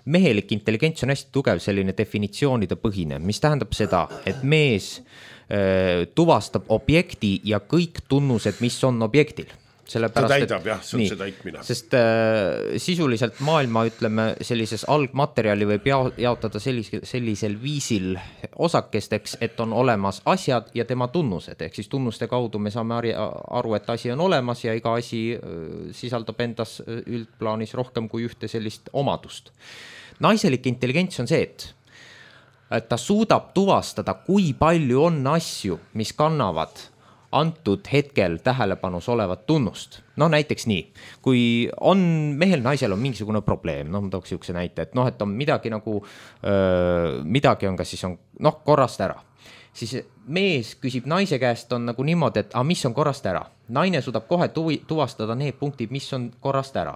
mehelik intelligents on hästi tugev selline definitsioonide põhine, mis tähendab seda, et mees tuvastab objekti ja kõik tunnused, mis on objektil. Ta täidab, jah, see on see täitmine. Sest sisuliselt maailma, ütleme, sellises algmaterjali võib jaotada sellisel viisil osakesteks, et on olemas asjad ja tema tunnused. Ehk siis tunnuste kaudu me saame aru, et asi on olemas ja iga asi sisaldab endas üldplaanis rohkem kui ühte sellist omadust. Naiselik intelligents on see, et ta suudab tuvastada, kui palju on asju, mis kannavad antud hetkel tähelepanus olevat tunnust. No näiteks nii, kui on mehel, naisel on mingisugune probleem, ma tooks siukse näite, et et on midagi nagu, midagi on, kas siis on korrast ära. Siis mees küsib naise käest on nagu niimoodi, et mis on korrast ära. Naine suudab kohe tuvastada need punktid, mis on korrast ära.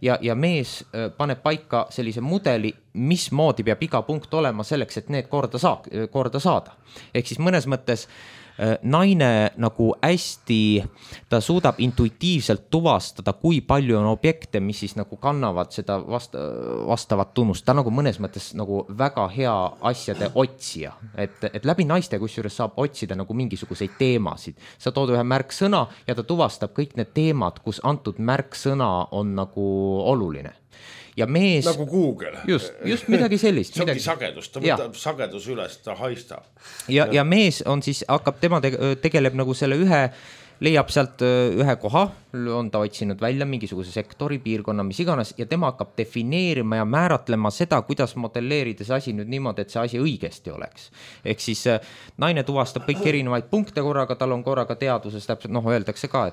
Ja mees paneb paika sellise mudeli, mismoodi peab iga punkt olema selleks, et need korda saada. Ehk siis mõnes mõttes naine nagu hästi, ta suudab intuitiivselt tuvastada, kui palju on objekte, mis siis nagu kannavad seda vastavat tunnust. Ta nagu mõnes mõttes nagu väga hea asjade otsija, et läbi naiste kusjuures saab otsida nagu mingisuguseid teemasid. Sa tood ühe märksõna ja ta tuvastab kõik need teemad, kus antud märksõna on nagu oluline. Ja mees, nagu Google. Just midagi sellist. See ongi sagedus, ta võtab sagedus üles, ta haistab. Ja mees on siis, hakkab, tema tegeleb nagu selle leiab sealt ühe koha, on ta otsinud välja mingisuguse sektori, piirkonna, mis iganes, ja tema hakkab defineerima ja määratlema seda, kuidas modelleerida see asi nüüd niimoodi, et see asi õigesti oleks. Ehk siis naine tuvastab kõik erinevaid punkte korraga, tal on korraga teaduses, täpselt öeldakse ka,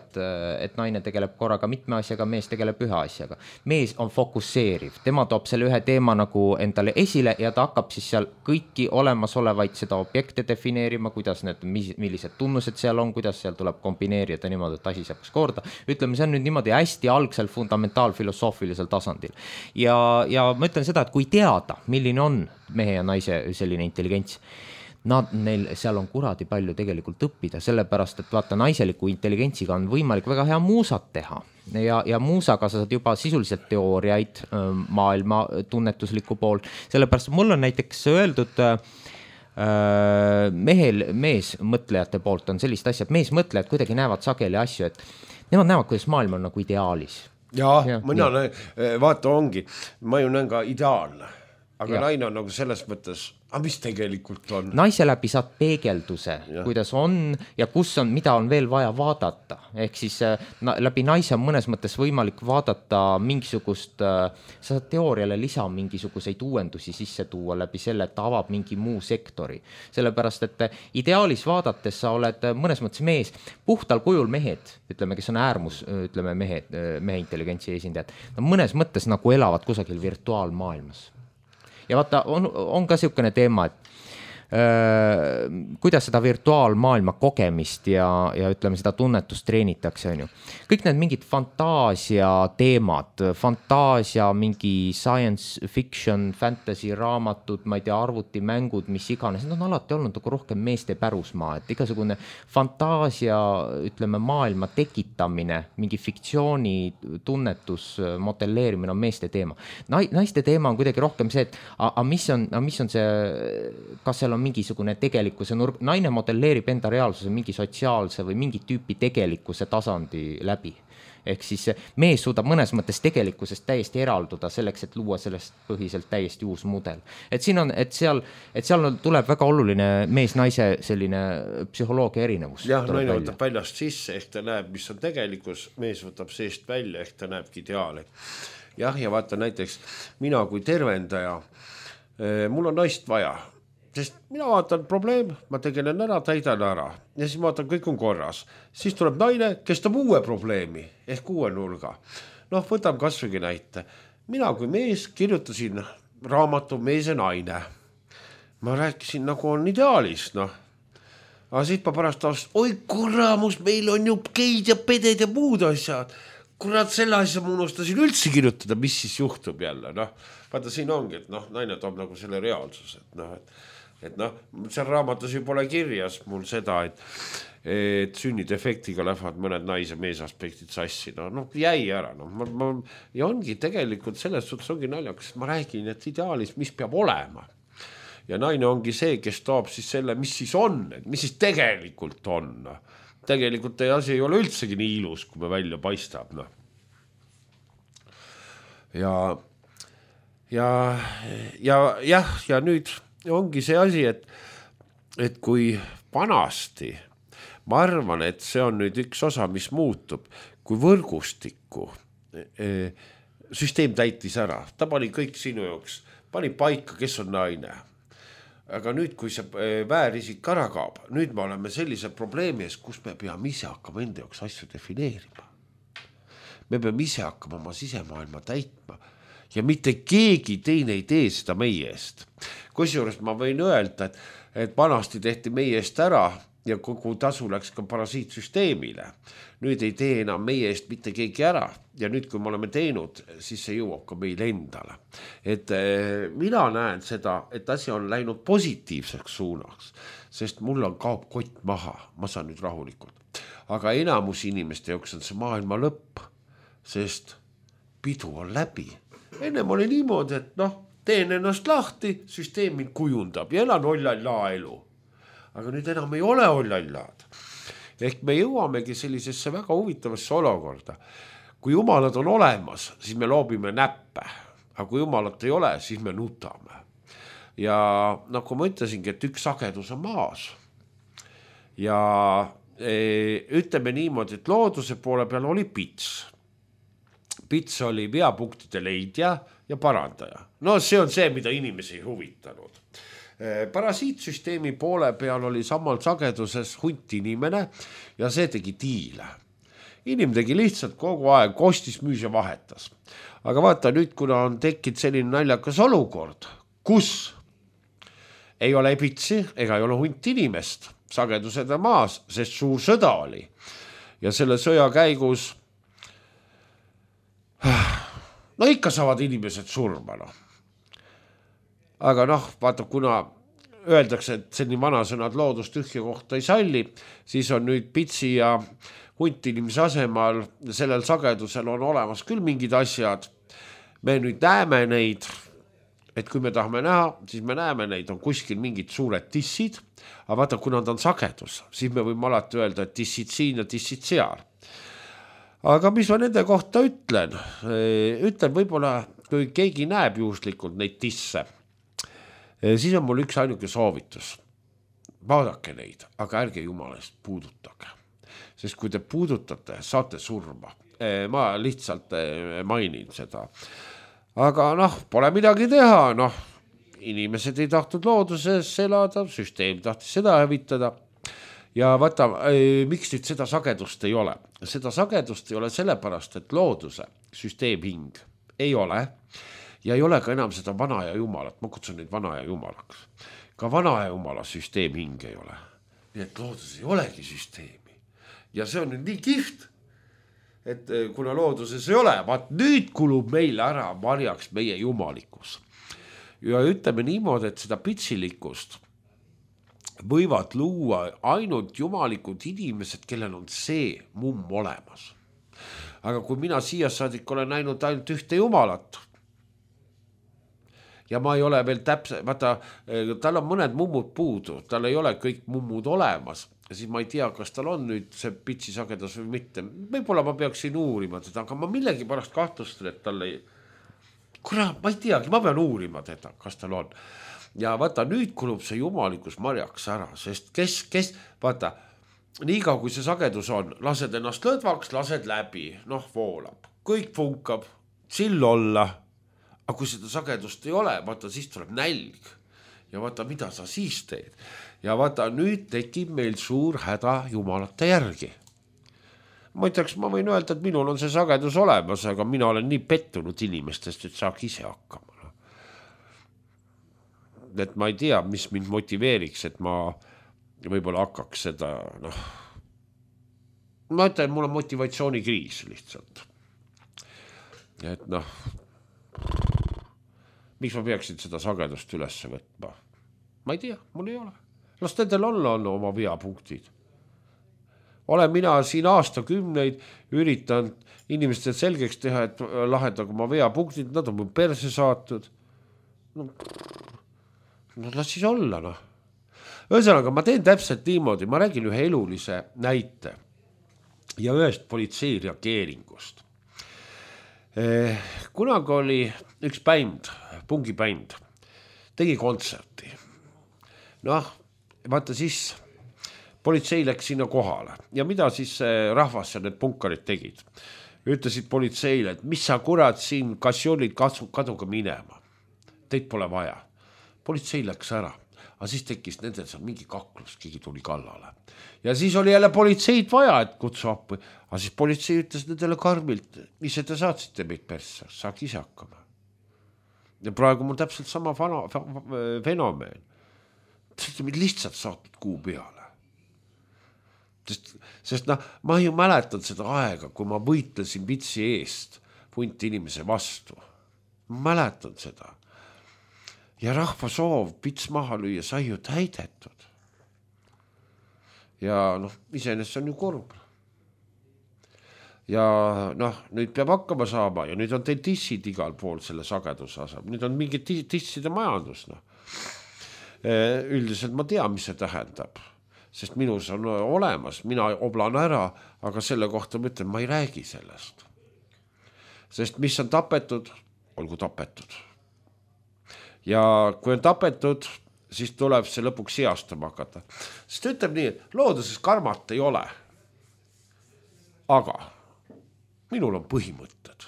et naine tegeleb korraga mitme asjaga, mees tegeleb ühe asjaga. Mees on fokusseeriv, tema toob selle ühe teema nagu endale esile ja ta hakkab siis seal kõiki olemasolevaid seda objekte defineerima, kuidas need, millised tunnused seal on, kuidas seal tuleb kombineerida niimoodi, et asi saaks korda. Ütleme, see on nüüd niimoodi hästi algsel fundamentaalfilosoofilisel tasandil. Ja ma ütlen seda, et kui teada, milline on mehe ja naise selline intelligents, neil seal on kuradi palju tegelikult õppida, sellepärast, et vaata, naiseliku intelligentsiga on võimalik väga hea muusat teha. Ja muusaga sa saad juba sisuliselt teooriaid maailma tunnetusliku pool. Sellepärast mul on näiteks öeldud mees mõtlejate poolt on sellist asja, et mees mõtlejad kuidagi näevad sageli asju, et nemad näevad, kuidas maailm on nagu ideaalis. Mina vaata ongi, ma ju näen ka ideaalne, aga naine on nagu selles mõttes, mis tegelikult on? Naise läbi saad peegelduse, kuidas on ja kus on, mida on veel vaja vaadata. Ehk siis läbi naise on mõnes mõttes võimalik vaadata mingisugust, sa saad teooriale lisa mingisuguseid uuendusi sisse tuua läbi selle, et ta avab mingi muu sektori. Sellepärast, et ideaalis vaadates sa oled mõnes mõttes mees, puhtal kujul mehed, ütleme, kes on äärmus, ütleme mehe intelligentsi esindajad, mõnes mõttes nagu elavad kusagil virtuaalmaailmas. Ja vaata, on ka siukene teema, et kuidas seda virtuaalmaailma kogemist ja ütleme seda tunnetust treenitakse, on ju. Kõik need mingid fantaasia teemad, fantaasia, mingi science fiction, fantasy raamatud, ma ei tea, arvutimängud, mis iganes, need on alati olnud nagu rohkem meeste pärusmaa, et igasugune fantaasia, ütleme, maailma tekitamine, mingi fiktsiooni tunnetus, modelleerimine on meeste teema. Naiste teema on kuidagi rohkem see, et mis on see, kas seal on mingisugune tegelikkuse nurk, naine modelleerib enda reaalsuse mingi sotsiaalse või mingi tüüpi tegelikkuse tasandi läbi. Ehk siis mees suudab mõnes mõttes tegelikkusest täiesti eralduda selleks, et luua sellest põhiselt täiesti uus mudel. Et seal tuleb väga oluline mees-naise selline psühholoogia erinevus. Jah, naine võtab väljast sisse, ehk ta näeb, mis on tegelikkus, mees võtab seest välja, ehk ta näebki ideaali. Ja vaata näiteks mina kui tervendaja, mul on naist vaja. sest mina vaatan probleem, ma tegelen ära, täidan ära ja siis ma vaatan, kõik on korras. Siis tuleb naine, kes toob uue probleemi ehk uue nurga. Noh, võtam kasvõigi näite. Mina kui mees kirjutasin raamatu Mees ja naine. Ma rääkisin nagu on ideaalis, noh. Aga siit ma pärast taust, oi kuramus, meil on ju geid ja peded ja muud asjad. Kurat, selle asja ma unustasin üldse kirjutada, mis siis juhtub jälle, noh. Vaata, siin ongi, et noh, naine toob nagu selle reaalsuse, et noh, seal raamatus ju pole kirjas mul seda, et sünnidefektiga lähevad mõned naise mees aspektid sassi, noh, jäi ära, noh, ja ongi tegelikult selles suhtes ongi naljakas, ma räägin, et ideaalis, mis peab olema. Ja naine ongi see, kes toob siis selle, mis siis on, mis siis tegelikult on, tegelikult teie asi ei ole üldsegi nii ilus, kui me välja paistab. No. Ja nüüd ongi see asi, et kui vanasti, ma arvan, et see on nüüd üks osa, mis muutub, kui võrgustikku süsteem täitis ära. Ta pani kõik sinu jaoks, pani paika, kes on naine. Aga nüüd, kui see väärisik ära kaob, nüüd me oleme sellise probleemi ees, kus me peame ise hakkama enda jaoks asju defineerima. Me peame ise hakkama oma sisemaailma täitma ja mitte keegi teine ei tee seda meie eest. Kusjuures ma võin öelda, et vanasti tehti meie eest ära ja kogu tasu läks ka parasiitsüsteemile. Nüüd ei tee enam meie eest mitte keegi ära ja nüüd, kui me oleme teinud, siis see jõuab ka meil endale. Et mina näen seda, et asi on läinud positiivseks suunaks, sest mul on kaob kott maha, ma saan nüüd rahulikult. Aga enamus inimeste jaoks on see maailma lõpp, sest pidu on läbi. Ennem oli niimoodi, et noh, teen ennast lahti, süsteem mind kujundab ja elan ollallaa elu. Aga nüüd enam ei ole ollallaad. Ehk me jõuamegi sellisesse väga huvitavasse olukorda. Kui jumalad on olemas, siis me loobime näppe. Aga kui jumalat ei ole, siis me nutame. Ja nagu ma ütlesingi, et üks sagedus on maas. Ja ütleme niimoodi, et looduse poole peal oli pits. Pits oli veapunktide leidja ja parandaja. No see on see, mida inimesi ei huvitanud. Parasiitsüsteemi poole peal oli samal sageduses hunt inimene ja see tegi diile. Inim tegi lihtsalt kogu aeg kostis, müüs ja vahetas. Aga vaata nüüd, kuna on tekkinud selline naljakas olukord, kus ei ole pitsi ega ei ole hunt inimest, sagedused on maas, sest suur sõda oli. Ja selle sõja käigus no ikka saavad inimesed surma, noh. Aga noh, vaata, kuna öeldakse, et selline vanasõnad loodust tühja kohta ei salli, siis on nüüd pitsi ja hunt inimese asemal sellel sagedusel on olemas küll mingid asjad. Me nüüd näeme neid, et kui me tahame näha, siis me näeme neid, on kuskil mingid suured tissid, aga vaata, kuna ta on sagedus, siis me võime alati öelda, et tissid siin ja tissid seal. Aga mis ma nende kohta ütlen? Ütlen võib-olla, kui keegi näeb juhuslikult neid tisse, siis on mul üks ainuke soovitus. Vaadake neid, aga ärge jumalast puudutage. Sest kui te puudutate, saate surma. Ma lihtsalt mainin seda. Aga noh, pole midagi teha, noh. Inimesed ei tahtnud looduses elada, süsteem tahtis seda hävitada. Ja vaata, miks nüüd seda sagedust ei ole? Seda sagedust ei ole sellepärast, et looduse süsteemhing ei ole ja ei ole ka enam seda vana ja jumalat. Ma kutsun neid vana ja jumalaks. Ka vana ja jumala süsteemhing ei ole. Nii et loodus ei olegi süsteemi. Ja see on nüüd nii kihvt, et kuna looduses ei ole, vaat nüüd kulub meile ära marjaks meie jumalikus. Ja ütleme niimoodi, et seda pitsilikkust võivad luua ainult jumalikud inimesed, kellel on see mumm olemas. Aga kui mina siia saadik olen näinud ainult ühte jumalat ja ma ei ole veel täpselt, vaata, tal on mõned mummud puudu, tal ei ole kõik mummud olemas, siis ma ei tea, kas tal on nüüd see pitsi sagedus või mitte. Võib-olla ma peaksin uurima teda, aga ma millegi pärast kahtlustan, et tal ei... Kurat, ma ei teagi, ma pean uurima teda, kas tal on. Ja vaata, nüüd kulub see jumalikus marjaks ära, sest kes, vaata, niikaua kui see sagedus on, lased ennast lõdvaks, lased läbi, noh, voolab, kõik funkab, chill olla, aga kui seda sagedust ei ole, vaata, siis tuleb nälg ja vaata, mida sa siis teed. Ja vaata, nüüd tekib meil suur häda jumalate järgi. Ma ütleks, ma võin öelda, et minul on see sagedus olemas, aga mina olen nii pettunud inimestest, et saaks ise hakkama. Et ma ei tea, mis mind motiveeriks, et ma võib-olla hakkaks seda, ma ütlen, mul on motivatsioonikriis lihtsalt. Et miks ma peaksin seda sagedust üles võtma? Ma ei tea, mul ei ole. Las nendel on oma veapunktid. Olen mina siin aastakümneid üritanud inimestele selgeks teha, et lahendagu oma veapunktid, nad on mu perse saatud. Las siis olla, Ühesõnaga, ma teen täpselt niimoodi, ma räägin ühe elulise näite ja ühest politsei reageeringust. Kunagi oli üks bänd, pungibänd, tegi kontserti. Vaata siis politsei läks sinna kohale ja mida siis rahvas ja need punkarid tegid? Ütlesid politseile, et mis sa kurat siin kasjolid kaduga minema. Teid pole vaja. Politsei läks ära. Aga siis tekkis nendel seal mingi kaklus, keegi tuli kallale. Ja siis oli jälle politseid vaja, et kutsu appi. Aga siis politsei ütles nendele karmilt, ise te saatsite meid persse, saaks ise hakkama. Ja praegu mul täpselt sama fenomeen. Lihtsalt saatud kuu peale. Sest ma ju mäletan seda aega, kui ma võitlesin vitsi eest punti inimese vastu. Ma mäletan seda. Ja rahva soov pits maha lüüa sai ju täidetud. Ja iseenesest on ju kurb. Ja nüüd peab hakkama saama ja nüüd on teil tissid igal pool selle sageduse asem. Nüüd on mingi tisside majandus. Üldiselt ma tean, mis see tähendab. Sest minus on olemas, mina oblan ära, aga selle kohta ma ütlen, ma ei räägi sellest. Sest mis on tapetud, olgu tapetud. Ja kui on tapetud, siis tuleb see lõpuks seastama hakata. Sest ütleb nii, et looduses karmat ei ole. Aga minul on põhimõtted.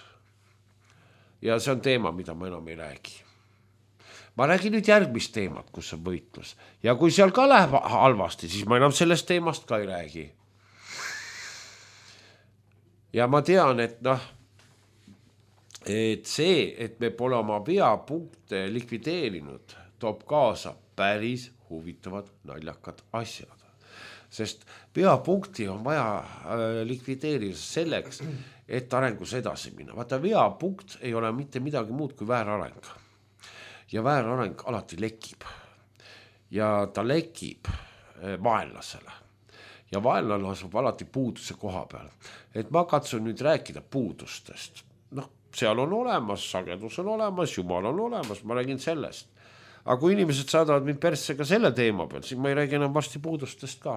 Ja see on teema, mida ma enam ei räägi. Ma räägin nüüd järgmist teemat, kus on võitlus. Ja kui seal ka läheb halvasti, siis ma enam sellest teemast ka ei räägi. Ja ma tean, et et see, et me pole oma veapunkte likvideerinud, toob kaasa päris huvitavad naljakad asjad. Sest veapunkti on vaja likvideerida selleks, et arengus edasi minna. Vaata, veapunkt ei ole mitte midagi muud kui väärareng. Ja väärareng alati lekib. Ja ta lekib vaenlasele. Ja vaenlane asub alati puuduse koha peal. Et ma katsun nüüd rääkida puudustest. Seal on olemas, sagedus on olemas, jumal on olemas, ma räägin sellest. Aga kui inimesed saadavad mind persse ka selle teema peal, siis ma ei räägi enam varsti puudustest ka.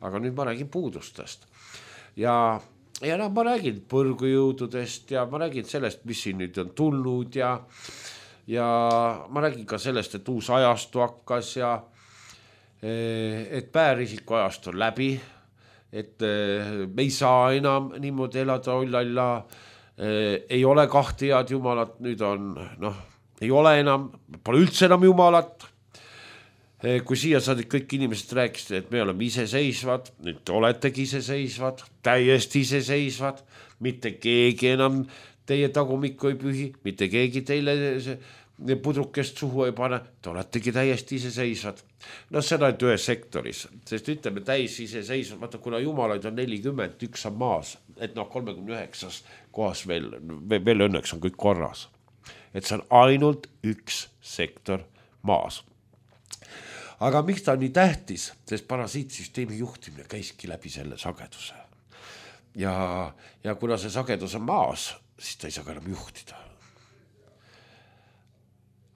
Aga nüüd ma räägin puudustest. Ja ma räägin põrgujõududest ja ma räägin sellest, mis siin nüüd on tulnud ja ma räägin ka sellest, et uus ajastu hakkas ja et päärisiku ajastu on läbi, et me ei saa enam niimoodi elada ollalla. Ei ole kahte head jumalat, nüüd on, ei ole enam, pole üldse enam jumalat. Kui siia saadik kõik inimesed rääkisid, et me oleme iseseisvad, nüüd oletegi iseseisvad, täiesti iseseisvad, mitte keegi enam teie tagumikku ei pühi, mitte keegi teile pudrukest suhu ei pane, te oletegi täiesti iseseisvad. Seda et ühes sektoris, sest ütleme täis iseseisvad, vaata kuna jumalaid on 40, üks on maas, et 39 kohas veel õnneks on kõik korras. Et see on ainult üks sektor maas. Aga miks ta on nii tähtis, sest parasiitsüsteemi juhtimine käiski läbi selle sageduse. Ja kuna see sagedus on maas, siis ta ei saa ka enam juhtida.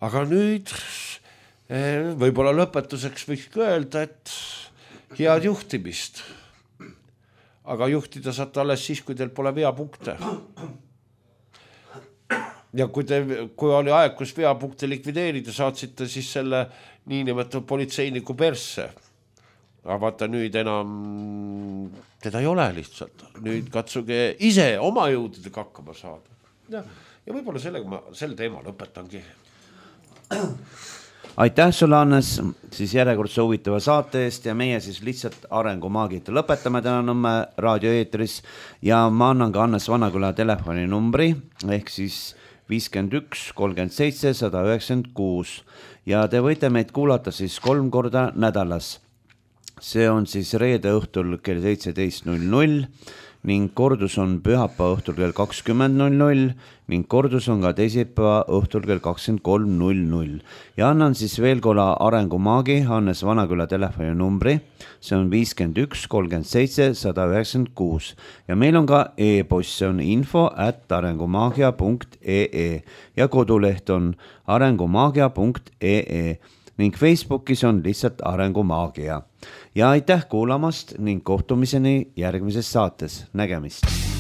Aga nüüd võib-olla lõpetuseks võiks öelda, et head juhtimist. Aga juhtida saate alles siis, kui teil pole veapunkte. Ja kui oli aeg, kus veapunkte likvideerida, saatsite siis selle niinimetatud politseiniku persse. Aga vaata nüüd enam teda ei ole lihtsalt. Nüüd katsuge ise oma jõududega hakkama saada. Ja võib-olla sellega ma selle teema lõpetangi. aitäh sulle, Hannes, siis järjekordse huvitava saate eest ja meie siis lihtsalt arengumaagid lõpetame täna Nõmme raadioeetris ja ma annan ka Hannes Vanaküla telefoninumbri ehk siis 51 37 196 ja te võite meid kuulata siis 3 korda nädalas. See on siis reede õhtul kell 17.00 ning kordus on pühapäeva õhtul kell 20.00 ning kordus on ka teisipäeva õhtul kell 23.00. Ja annan siis veel korra arengumaagi Hannes Vanaküla telefoninumbri, see on 51 37 196 ja meil on ka e-post, see on info@arengumaagia.ee ja koduleht on arengumaagia.ee ning Facebookis on lihtsalt Arengumaagia. Ja aitäh kuulamast ning kohtumiseni järgmises saates. Nägemist!